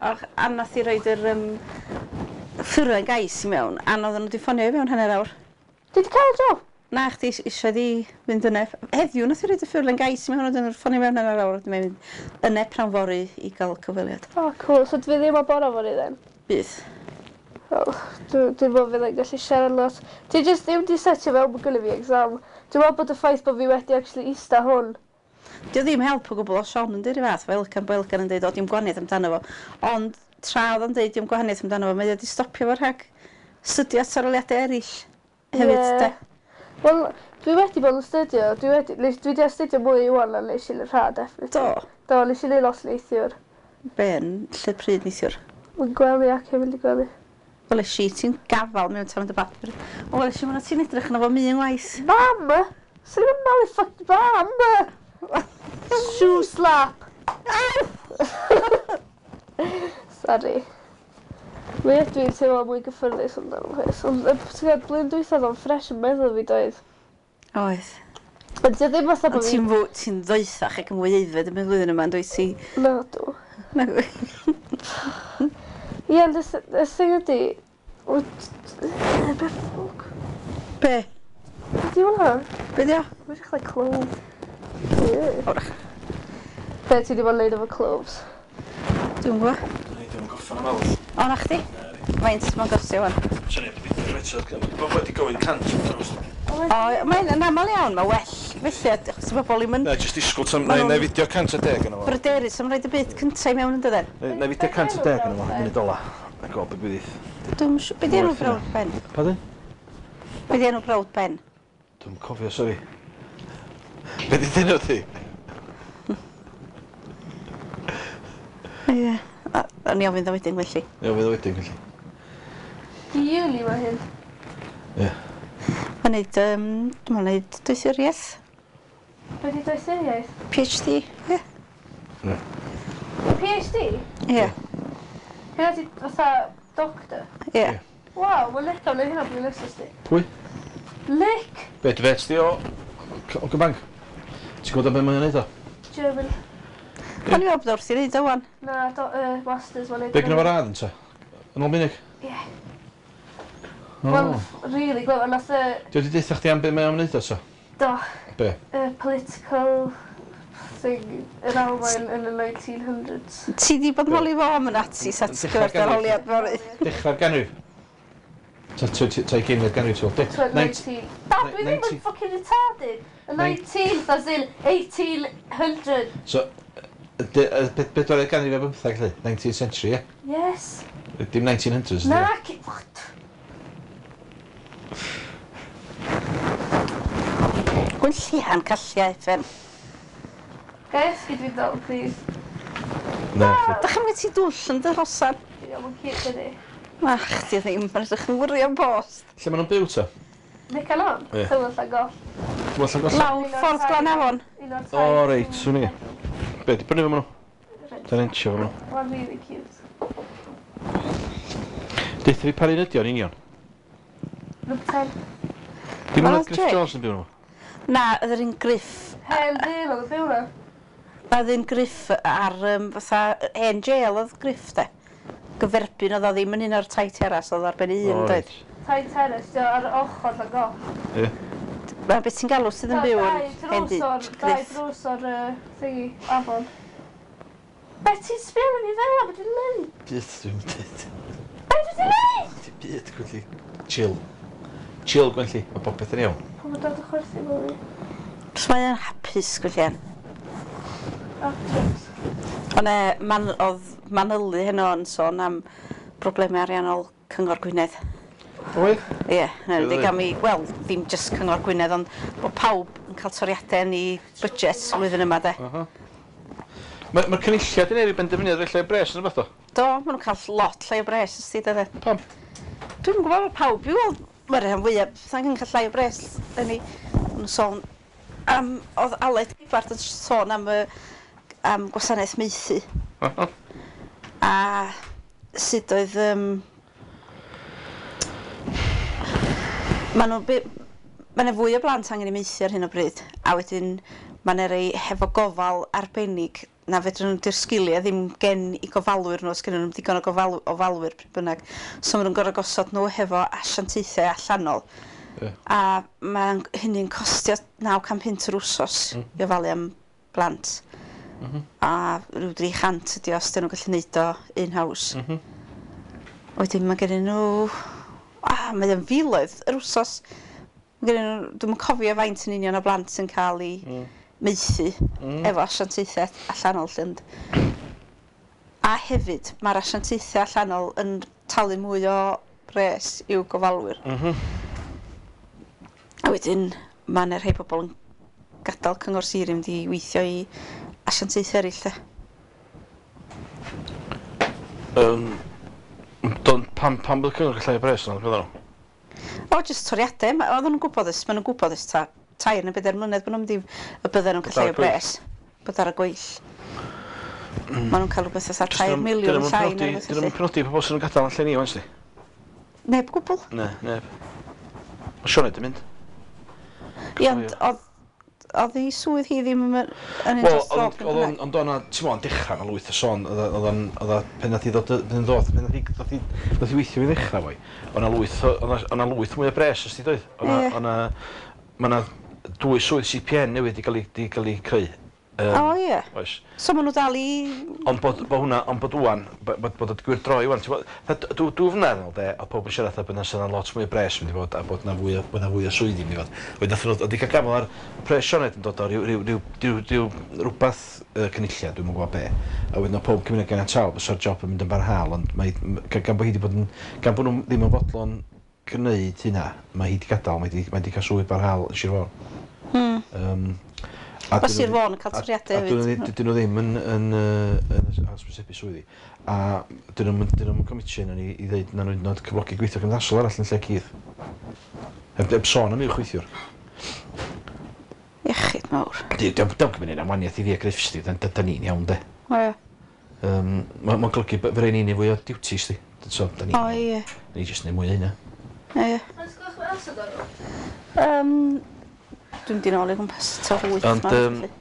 [SPEAKER 1] Och, a nath i roed yr um, ffurflen gais i mewn, a oedden nhw wedi ffonio i mewn hanner awr.
[SPEAKER 2] Di di cael job?
[SPEAKER 1] Na, chdi eisiau di fynd yna. Heddiw nath i roed y ffurflen gais i mewn, oedden nhw'n ffonio mewn hanner awr, wedyn mae'n mynd yna prawn fory i gael cyfweliad.
[SPEAKER 2] O, oh, cool. So dwi ddim o bora fory then?
[SPEAKER 1] Bydd.
[SPEAKER 2] Oh, dwi'n dwi meddwl fydd yn gallu siarad lot. Dwi just ddim di setio fewn bod gynna fi exam. Dwi'n meddwl bod y ffaith bod fi wedi actually ista hwn.
[SPEAKER 1] Dio ddim help o gwbl o Sean yn dweud fath, fel Elgan Belgan yn dweud, o, dim gwaniaeth amdano fo. Ond tra oedd o'n deud dim gwahaniaeth amdano fo, mae o wedi stopio fo rhag studio at arholiadau eraill hefyd,
[SPEAKER 2] Ie.
[SPEAKER 1] de.
[SPEAKER 2] Wel, dwi wedi bod yn studio, dwi wedi, nes- dwi wedi astudio mwy wan na nes i yn yr ha, definitely.
[SPEAKER 1] Do.
[SPEAKER 2] Do, nes i neud lot neithiwr.
[SPEAKER 1] Be yn lle pryd neithiwr?
[SPEAKER 2] Mae'n gwely ac yn mynd i gwely.
[SPEAKER 1] Wel, i ti'n gafal mewn tan y bapur. O, wel, i mwyn ti'n edrych yna fo mi yn waith.
[SPEAKER 2] Mam! Swn i'n malu fuck mam! Shoe slap! Sorry. Mi ydw i'n teimlo mwy gyffyrddus amdano peth. Ond yy, ti'n gwybod, blwyddyn dwytha oedd o'n ffres yn meddwl fi doedd.
[SPEAKER 1] Oedd.
[SPEAKER 2] Ond di o ddim fatha
[SPEAKER 1] Ond
[SPEAKER 2] bod fi...
[SPEAKER 1] ti'n fwy, ti'n ddoethach ac yn fwy aeddfed yn y flwyddyn yma, yn dwyt ti?
[SPEAKER 2] Na, dw.
[SPEAKER 1] Na,
[SPEAKER 2] Ie, ond y th- y thing ydi... wyt- Be ffwc?
[SPEAKER 1] Be?
[SPEAKER 2] Be di hwnna?
[SPEAKER 1] Be di o?
[SPEAKER 2] Mae'n edrych like clove. Ie.
[SPEAKER 1] Wrach.
[SPEAKER 2] Be ti di bod yn neud efo cloves?
[SPEAKER 1] Dwi'n gwybod.
[SPEAKER 3] Nei, dwi'n gorffan am awr.
[SPEAKER 1] O, na chdi? Faint mae'n gostio wan?
[SPEAKER 3] Swn i wedi eto, bod wedi gofyn cant.
[SPEAKER 1] O, mae'n yn aml iawn, mae well felly, achos mae bobl ddim yn
[SPEAKER 3] Na, jyst disgwyl tam,
[SPEAKER 1] Ma'
[SPEAKER 3] na,
[SPEAKER 1] nhw'n
[SPEAKER 3] na fideo cant a deg yna fo.
[SPEAKER 1] bryderus am roid y byd cyntaf i mewn yn dydyn.
[SPEAKER 3] Na, na fideo cant a deg yna fo, munud ola. A gweld be gwyddill.
[SPEAKER 1] Dwi'n siŵr, be di enw
[SPEAKER 3] Werth
[SPEAKER 1] brawd Ben?
[SPEAKER 3] Pardon?
[SPEAKER 1] Be di enw brawd Ben?
[SPEAKER 3] Dwi'n cofio, sori. Be di dyn ti?
[SPEAKER 1] Ie. A, a ni ofyn ddo wedyn felly.
[SPEAKER 3] Ie, fydd o wedyn, felly.
[SPEAKER 2] Di uni mae hyn.
[SPEAKER 3] Ie.
[SPEAKER 1] Mae'n neud, um, dwi'n meddwl neud doethuriaeth,
[SPEAKER 2] Be di doethuriaeth?
[SPEAKER 1] PhD, ie.
[SPEAKER 3] Ie.
[SPEAKER 2] PhD?
[SPEAKER 1] Ie,
[SPEAKER 2] Hynna di fatha doctor?
[SPEAKER 1] ie.
[SPEAKER 2] Waw, mae Nick am neud hynna blwyddyn nesaf sti.
[SPEAKER 3] Pwy?
[SPEAKER 2] Nick!
[SPEAKER 3] Be, dy fet di o... O Gybanc? Ti'n gwybod am be mae'n neud o?
[SPEAKER 2] German.
[SPEAKER 1] O'n i'n meddwl bod o wrth i neud o wan.
[SPEAKER 2] Na, do, uh, masters mae'n neud.
[SPEAKER 3] Be gynno fo radd yn ta? Yn ôl munig?
[SPEAKER 2] Ie.
[SPEAKER 3] O.
[SPEAKER 2] Wel, really glyfar, nath y...
[SPEAKER 3] Di wedi deutha chdi am be mae o'n neud o ta?
[SPEAKER 2] Do,
[SPEAKER 3] Be?
[SPEAKER 2] y political thing yn Almaen yn y nineteen hundreds.
[SPEAKER 1] Ti di bod yn holi fo am y Nazis at
[SPEAKER 3] Dechrau'r
[SPEAKER 1] gyfer dy arholiad fory.
[SPEAKER 3] Dechrau'r ganrif? Ta ta ugeinfed ganrif, ti'n gweld?
[SPEAKER 2] nineteen. Da, dwi ddim yn fucking retarded. Y nineteenth as in eighteen hundred.
[SPEAKER 3] So, bedwaredd ganrif a bymtheg, lle? nineteenth century, ie?
[SPEAKER 2] Yes.
[SPEAKER 3] Dim nineteen hundreds,
[SPEAKER 2] Na, ci- what?
[SPEAKER 1] Gwyn llian calliau, Fen.
[SPEAKER 2] Ga i esgyd fi dal, please?
[SPEAKER 3] Na, chdi.
[SPEAKER 1] Dach chi'n mynd ti dwll yn dy hosan?
[SPEAKER 2] Ie, mae'n cute ydi.
[SPEAKER 1] Na, chdi ddim, mae'n edrych yn wirion bost.
[SPEAKER 3] Lle maen nhw'n byw ta?
[SPEAKER 2] Nick and On?
[SPEAKER 3] Ie.
[SPEAKER 2] Tywel Llangollen.
[SPEAKER 3] Tywel Llangollen?
[SPEAKER 1] Lawr ffordd Glan Afon.
[SPEAKER 2] Un o'r tai.
[SPEAKER 3] O, reit, swn i. Be, di brynu fo maen nhw? Da'n entio fo nhw.
[SPEAKER 2] Mae'n really cute.
[SPEAKER 3] Deutha fi pa un ydi o'n union?
[SPEAKER 2] Number ten.
[SPEAKER 3] Dim
[SPEAKER 1] Wel,
[SPEAKER 3] ond Griff
[SPEAKER 1] Jay.
[SPEAKER 3] Jones yn byw nhw.
[SPEAKER 1] Na, oedd yr un Griff.
[SPEAKER 2] Hen ddyn oedd yn byw na.
[SPEAKER 1] Oedd un Griff ar um, fatha hen jail oedd Griff de. Gyferbyn oedd o ddim yn un o'r tai teras, oedd ar ben un,
[SPEAKER 3] O,
[SPEAKER 1] doedd.
[SPEAKER 3] reit.
[SPEAKER 2] Tai teras, di o ar ochr Llangollen.
[SPEAKER 3] Ie.
[SPEAKER 1] Mae beth ti'n galw sydd yn byw yn
[SPEAKER 2] Dau
[SPEAKER 1] hen
[SPEAKER 2] drws o'r, dau
[SPEAKER 1] Griff.
[SPEAKER 2] drws o'r uh, thingy, afon. Be ti'n sbio arno fi fel 'na, be dwi'n neud?
[SPEAKER 3] Byd dwi'n dweud.
[SPEAKER 2] Be dwi 'di neud?
[SPEAKER 3] Dim byd, Gwenlli. Chill. Chill, Gwenlli. Mae popeth yn iawn.
[SPEAKER 2] Pam yn dod o chwerthin fel fi?
[SPEAKER 1] Os mae o'n hapus, Gwenllian.
[SPEAKER 2] Actress.
[SPEAKER 1] Ond e, man, oedd manylu heno yn sôn am broblemau ariannol Cyngor Gwynedd.
[SPEAKER 3] Oedd?
[SPEAKER 1] Ie, yeah,
[SPEAKER 3] Really?
[SPEAKER 1] wedi gam i, wel, ddim just Cyngor Gwynedd, ond bod pawb yn cael toriadau yn ei budget flwyddyn yma, de.
[SPEAKER 3] Aha. Mae'r ma cynulliad yn ei benderfyniad rhoi llai o bres yn rhywbeth o?
[SPEAKER 1] Do, maen nhw'n cael lot llai o bres, ysdi, de, de.
[SPEAKER 3] Pam?
[SPEAKER 1] Dwi'n gwybod bod pawb, i weld, mae'r rhan fwyaf, fatha'n cael llai o bres yn ei, maen nhw'n sôn am, oedd Aled Gibbard yn sôn am y am gwasanaeth maethu.
[SPEAKER 3] Aha.
[SPEAKER 1] A sut oedd... Um, ma' nhw... Mae yna fwy o blant angen eu maethu ar hyn o bryd, a wedyn mae yna rei hefo gofal arbennig na fedrwn nhw, di'r sgiliau ddim gen i gofalwyr nhw, os gennyn nhw'm digon o gofal, ofalwyr pryd bynnag. So maen nhw'n gorfod gosod nhw hefo asiantaethau allanol.
[SPEAKER 3] Ie.
[SPEAKER 1] A mae hynny'n costio naw can punt yr wsos mm. i ofalu am blant.
[SPEAKER 3] Mm -hmm.
[SPEAKER 1] A rhyw dri chant ydi os dyn nhw'n gallu neud o in-house.
[SPEAKER 3] Mm -hmm.
[SPEAKER 1] Wedyn mae gennyn nhw... A, mae o'n filoedd yr wsos. Mae gennyn nhw... Dwi'm yn cofio faint yn union o blant sy'n cael ei
[SPEAKER 3] Mm.
[SPEAKER 1] maethu
[SPEAKER 3] Mm.
[SPEAKER 1] efo asiantaethau allanol lle. ond- A A hefyd, mae'r asiantaethau allanol yn talu mwy o bres i'w gofalwyr.
[SPEAKER 3] Mm -hmm.
[SPEAKER 1] A wedyn, mae yna rhai pobl yn gadael cyngor sir i mynd i weithio i asiantaethau eraill, de.
[SPEAKER 3] Um, don, pam, pam bod y cyngor gael llai o bres yna, beth nhw?
[SPEAKER 1] O, jyst toriadau. Ma- Oedden nhw'n gwybod ys, maen nhw'n gwybod ys ta tair neu bedair mlynedd bod nhw'n mynd i, y bydden nhw'n cael llai o bres. Bod ar y gweill. Mm. Maen nhw'n cael rhywbeth fatha tair miliwn llai neu rhywbeth
[SPEAKER 3] Dyn nhw'n
[SPEAKER 1] felly.
[SPEAKER 3] penodi pobl sy'n gadael yn lle ni, wan, sti?
[SPEAKER 1] Neb gwbl.
[SPEAKER 3] Ne, neb. Mae Sioned yn mynd.
[SPEAKER 1] Ie, ond oedd oedd ei swydd hi ddim yn yn un
[SPEAKER 3] Wel,
[SPEAKER 1] dros dro.
[SPEAKER 3] oedd o'n, ond o'na, ti'n mwyn, dechrau na lwyth o sôn, oedd oedd o'n, oedd o, pen nath i ddod, pen ddod, pen nath i, nath i, nath i weithio i ddechrau foi, o'na lwyth, o- o'na o'na lwyth mwy o bres, os ti doedd? O'na,
[SPEAKER 1] Ie.
[SPEAKER 3] o'na, ma' 'na dwy swydd C P N newydd 'di gael ei, 'di gael ei creu. Um,
[SPEAKER 1] O ie.
[SPEAKER 3] Oes.
[SPEAKER 1] So maen nhw dal i...
[SPEAKER 3] Ond bod, bod hwnna, ond bod ŵan, bod, bod, bod y gwir droi ŵan, ti'n gwbod, fatha dw, dwy flynedd yn ôl de, oedd pobl yn siarad fatha bod 'na sydd lot mwy o bres mynd i fod, a bod 'na fwy o, bod 'na fwy o swyddi mynd i fod. Wedyn nath nhw, oedd 'di cael gafel ar pres Sioned yn dod o ryw, ryw, ryw, ryw, ryw rwbath uh, cynulliad, dwi'm yn gwybod be. A wedyn oedd pob cymuned gan tal, fysa'r job yn mynd yn barhaol, ond mae, m- gan gan bod hi wedi bod yn, gan bod nhw ddim yn fodlon gwneud hynna, mae hi wedi gadael, mae hi wedi, mae hi wedi cael swydd barhaol yn Sir Fôn.
[SPEAKER 1] Hmm.
[SPEAKER 3] Um, a
[SPEAKER 1] Mae
[SPEAKER 3] dyn nhw
[SPEAKER 1] Sir
[SPEAKER 3] ddim-
[SPEAKER 1] Fôn yn cael
[SPEAKER 3] a-
[SPEAKER 1] toriadau
[SPEAKER 3] a dyn nhw
[SPEAKER 1] hefyd.
[SPEAKER 3] ddim- dyn nhw ddim yn, yn, yy, yn hysbysebu swyddi. A dyn nhw'n dyn nhw'n comitio ni i ddeud na nhw'n nod cyflogi gweithio cymdeithasol arall yn lle Keith. Heb, heb sôn am uwch weithiwr.
[SPEAKER 1] Iechyd mawr.
[SPEAKER 3] Diolch yn mynd am waniaeth i fi a Griffiths di, da, da ni'n iawn de.
[SPEAKER 1] O ie.
[SPEAKER 3] Um, Mae'n ma golygu fe rhaid ni'n fwy o duties di. So, da ni'n
[SPEAKER 1] O ie.
[SPEAKER 3] Ni jyst neud mwy o hynna.
[SPEAKER 1] Ie.
[SPEAKER 2] Mae'n sgwch mae Elsa dan nhw?
[SPEAKER 1] Um, dwi'n mynd i nôl i gwmpas tua wyth
[SPEAKER 3] Ond,
[SPEAKER 1] ma,
[SPEAKER 3] yym,
[SPEAKER 1] felly.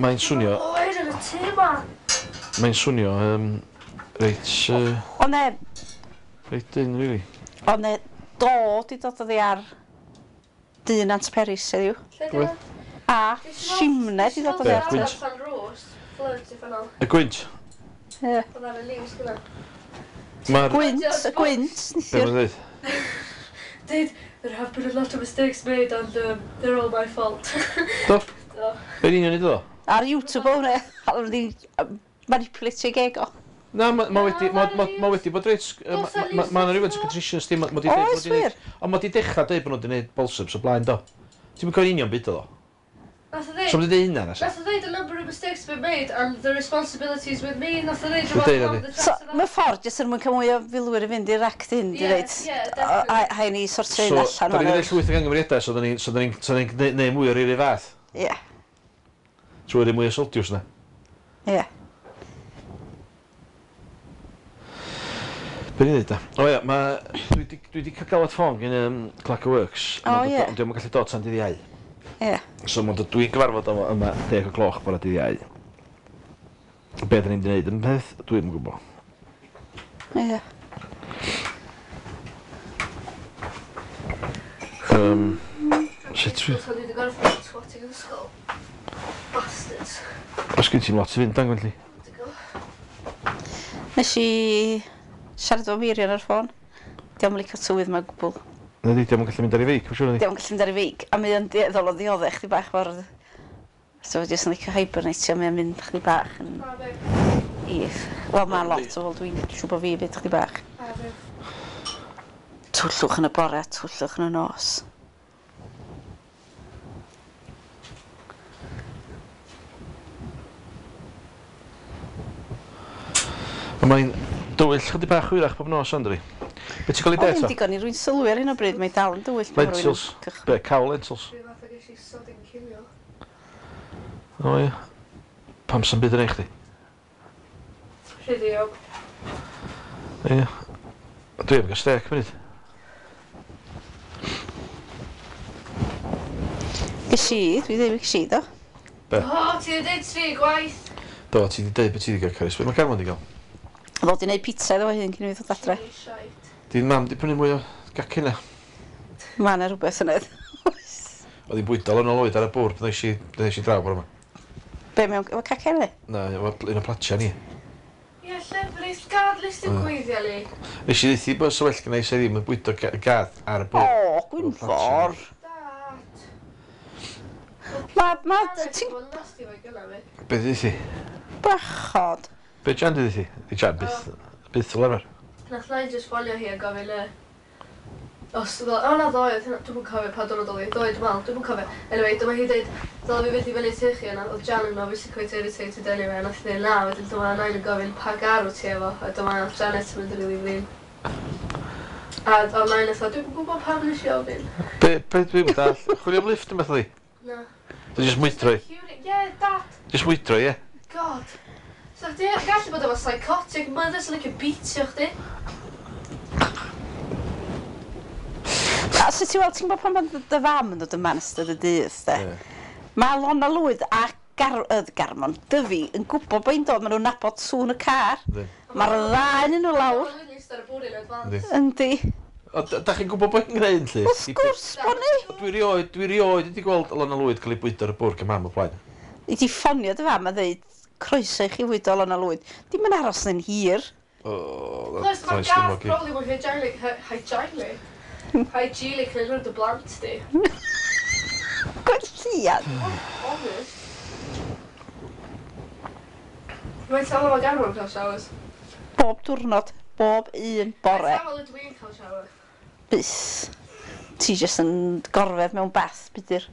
[SPEAKER 3] Mae'n swnio,
[SPEAKER 2] Oer yn y tŷ ma!
[SPEAKER 3] mae'n swnio um, reit, uh,
[SPEAKER 1] O ne,
[SPEAKER 3] reit dyn, really.
[SPEAKER 1] o ne, do di dod oddi ar dyn Nant Peris heddiw.
[SPEAKER 2] Lle di
[SPEAKER 3] Gwyth.
[SPEAKER 2] hwnna?
[SPEAKER 1] A simne di dod oddi
[SPEAKER 3] Be,
[SPEAKER 1] ar.
[SPEAKER 3] gwynt?
[SPEAKER 2] Allan rhos. Floods i ffynol.
[SPEAKER 3] Y gwynt,
[SPEAKER 1] Ie.
[SPEAKER 2] Oedd ar y news gyda.
[SPEAKER 3] mae'r...
[SPEAKER 1] Gwynt, y gwynt,
[SPEAKER 3] Be
[SPEAKER 1] neithiwr.
[SPEAKER 3] mae'n dweud?
[SPEAKER 2] Dweud, there have been a lot of mistakes made and um, they're all my fault.
[SPEAKER 3] Do?
[SPEAKER 2] Do.
[SPEAKER 3] Be'n union i ddo?
[SPEAKER 1] Ar YouTube o hwnna, a nhw wedi manipulatio geg o.
[SPEAKER 3] Na, ma, ma wedi, ma, ma, ma wedi bod reit...
[SPEAKER 2] Does
[SPEAKER 3] Ma,
[SPEAKER 2] na
[SPEAKER 3] ma, ma 'na rhywfaint o contrition sti, ma, ma di deud...
[SPEAKER 1] Oes
[SPEAKER 3] ma 'di neud-
[SPEAKER 1] wir?
[SPEAKER 3] Ond ma di dechrau deud bod nhw wedi gwneud balsams o blaen, do. Ti'n mynd cofio'n union byd o ddo?
[SPEAKER 2] Nath o ddeud,
[SPEAKER 3] So ma di deud hynna, na sa?
[SPEAKER 2] nath o ddeud a number of mistakes been made and the responsibility is with me. Nath o ddeud
[SPEAKER 3] Dwi'n deud
[SPEAKER 2] rhywbeth
[SPEAKER 3] hynny.
[SPEAKER 2] on the
[SPEAKER 1] So,
[SPEAKER 2] track
[SPEAKER 1] mae ffordd jyst er mwyn cael mwy o filwyr i fynd i'r act hyn, di
[SPEAKER 2] Ie,
[SPEAKER 1] ddeud.
[SPEAKER 2] ie, definitely.
[SPEAKER 1] A hain i sortio
[SPEAKER 3] So,
[SPEAKER 1] hyn allan.
[SPEAKER 3] da ni'n
[SPEAKER 1] wan.
[SPEAKER 3] gwneud llwyth o gangymeriadau, so da ni'n so da ni'n so da ni'n gneu- neud mwy o'r un fath.
[SPEAKER 1] Ie,
[SPEAKER 3] Trwy roi mwy o soldiers na.
[SPEAKER 1] ie.
[SPEAKER 3] Be ni'n dweud da? O ia, ma, dwi di, dwi di cael galwad ffôn gen um, Clark Works.
[SPEAKER 1] O, ie.
[SPEAKER 3] Ond diolch yn gallu dod tan dydd Iau.
[SPEAKER 1] Ie.
[SPEAKER 3] So mae'n dod, dwi'n gyfarfod yma, yma deg o gloch bore dydd Iau. Be da ni'n mynd i wneud yn peth, dwi'm yn gwybod.
[SPEAKER 1] Ie.
[SPEAKER 3] Um, sut dwi...
[SPEAKER 2] Nath o wedi gorffen twatting ysgol. Bastards.
[SPEAKER 3] Os gen ti'n lot i fynd, dan Gwenlli?
[SPEAKER 1] Nes i siarad efo Miriam ar y ffôn. Diolch yn licio tywydd ma gwbl.
[SPEAKER 3] Na di, diolch yn gallu mynd ar ei feic, mae'n siŵr ydi.
[SPEAKER 1] Diolch yn gallu mynd ar ei feic. A mae o'n dueddol o ddioddef chdi bach mor... So jyst yn licio hibernatio, mae o'n mynd chdi bach yn
[SPEAKER 2] A fe.
[SPEAKER 1] if. Wel, mae lot o fel dwi'n siŵr bod fi fyd chdi bach.
[SPEAKER 2] A fe.
[SPEAKER 1] Twllwch yn y bore, twllwch yn y nos.
[SPEAKER 3] Ond mae'n dywyll chydig bach hwyrach bob nos, Andri. Be ti'n gael ei
[SPEAKER 1] O,
[SPEAKER 3] det
[SPEAKER 1] ddim
[SPEAKER 3] to?
[SPEAKER 1] digon i rwy'n sylwi ar hyn o bryd, mae dal yn dywyll. pan ma' rywun yn
[SPEAKER 3] Lentils.
[SPEAKER 1] cychwyn.
[SPEAKER 3] Be, cawl lentils?
[SPEAKER 2] Rhyw fath o ges i sodding cinio.
[SPEAKER 3] O ie. Pam sy'n byd yn ei chdi?
[SPEAKER 2] Rhydiog.
[SPEAKER 3] Ie. Dwi am gael stec munud.
[SPEAKER 1] Ges i, dwi ddim ges i do.
[SPEAKER 3] Be?
[SPEAKER 2] O, ti wedi deud tri gwaith.
[SPEAKER 3] Do, ti wedi deud beth ti wedi gael, Carys. Be mae Carmon wedi gael?
[SPEAKER 1] Ddod i wneud pizza iddo fo hun cyn i fi ddod adre.
[SPEAKER 2] Shite.
[SPEAKER 3] Di mam di prynu mwy o gacen na.
[SPEAKER 1] Mae yna rhywbeth yn edd.
[SPEAKER 3] Oedd hi'n bwydo yn ôl oed ar y bwrdd pan ddes i, pan ddes i draw bore yma.
[SPEAKER 1] Be, mewn efo cacen ni?
[SPEAKER 3] Na, efo un o platia ni.
[SPEAKER 2] Ie, llefrith, gad list yn gweithio li.
[SPEAKER 3] Nes i ddeithi bod so well gynna i se ddim yn bwydo ga- gath ar y
[SPEAKER 1] O,
[SPEAKER 3] bwrdd.
[SPEAKER 1] Gwynfor.
[SPEAKER 2] Dad.
[SPEAKER 1] Ma, ma, ti'n
[SPEAKER 2] Ti'n... Nasty fo'i gynna fi.
[SPEAKER 3] Be ddeithi?
[SPEAKER 1] bachod.
[SPEAKER 3] Be Jan di ti? Di Jan byth, byth fel arfer.
[SPEAKER 2] Nath Nain just ffonio hi a gofyn y... Os, o na ddoe, oedd hynna- dwi'm yn cofio pa diwrnod oedd hi, ddoe dwi'n meddwl, dwi'm yn cofio. Anyway, dyma hi dweud, dyle fi fynd i fyny tŷ chi, a oedd Jan yn obviously quite irritated anyway, a nath hi dweud na, wedyn dyma Nain yn gofyn pa gar wyt ti efo, a dyma nath Janet yn mynd yn rili flin. A oedd Nain fatha, dwi'm yn gwybod pam nes i ofyn.
[SPEAKER 3] Be, be dwi'n dall? Chwilio am lift yn beth ydi?
[SPEAKER 2] Na.
[SPEAKER 3] Dwi'n just mwydro i.
[SPEAKER 2] Yeah, dad.
[SPEAKER 3] Just mwydro i, ie.
[SPEAKER 2] God. So chdi gallu bod efo psychotic mother sy'n licio beatio chdi.
[SPEAKER 1] A so ti'n weld, ti'n gwybod pan mae dy fam yn dod yma yn ystod y dydd, de?
[SPEAKER 3] Ie.
[SPEAKER 1] Mae Lona Lwyd a Gar uh, Garmon Dyfi yn gwybod bod hi'n dod, maen nhw'n nabod sŵn y car.
[SPEAKER 3] Yndi.
[SPEAKER 1] Mae'r ddau yn nhw lawr.
[SPEAKER 2] Lwyd yn eistedd ar y bwrdd yn advance.
[SPEAKER 3] Yndi.
[SPEAKER 1] Yndi.
[SPEAKER 3] O, da da chi'n gwybod bod hi'n gwneud, lly?
[SPEAKER 1] Wrth gwrs bod ni.
[SPEAKER 3] Dwi rioed, dwi rioed wedi gweld Lona Lwyd cael ei bwydo ar y bwrdd gan mam o blaen.
[SPEAKER 1] I ti ffonio dy fam a dweud, croeso i chi fwydo Lona Lwyd. Dim yn aros yn hir.
[SPEAKER 3] O,
[SPEAKER 2] Plus,
[SPEAKER 3] that's
[SPEAKER 2] mae'r
[SPEAKER 3] nice
[SPEAKER 2] gath
[SPEAKER 3] dim
[SPEAKER 2] probably mwy hygienic, hygienic, hygienic yn dy blant di.
[SPEAKER 1] Gwelliad.
[SPEAKER 2] Honest. Mae'n teimlo mae Garmon cael showers.
[SPEAKER 1] Bob diwrnod, bob un bore.
[SPEAKER 2] Mae'n teimlo ydw i'n cael shower.
[SPEAKER 1] Bys. Ti jyst yn gorfedd mewn bath, budur.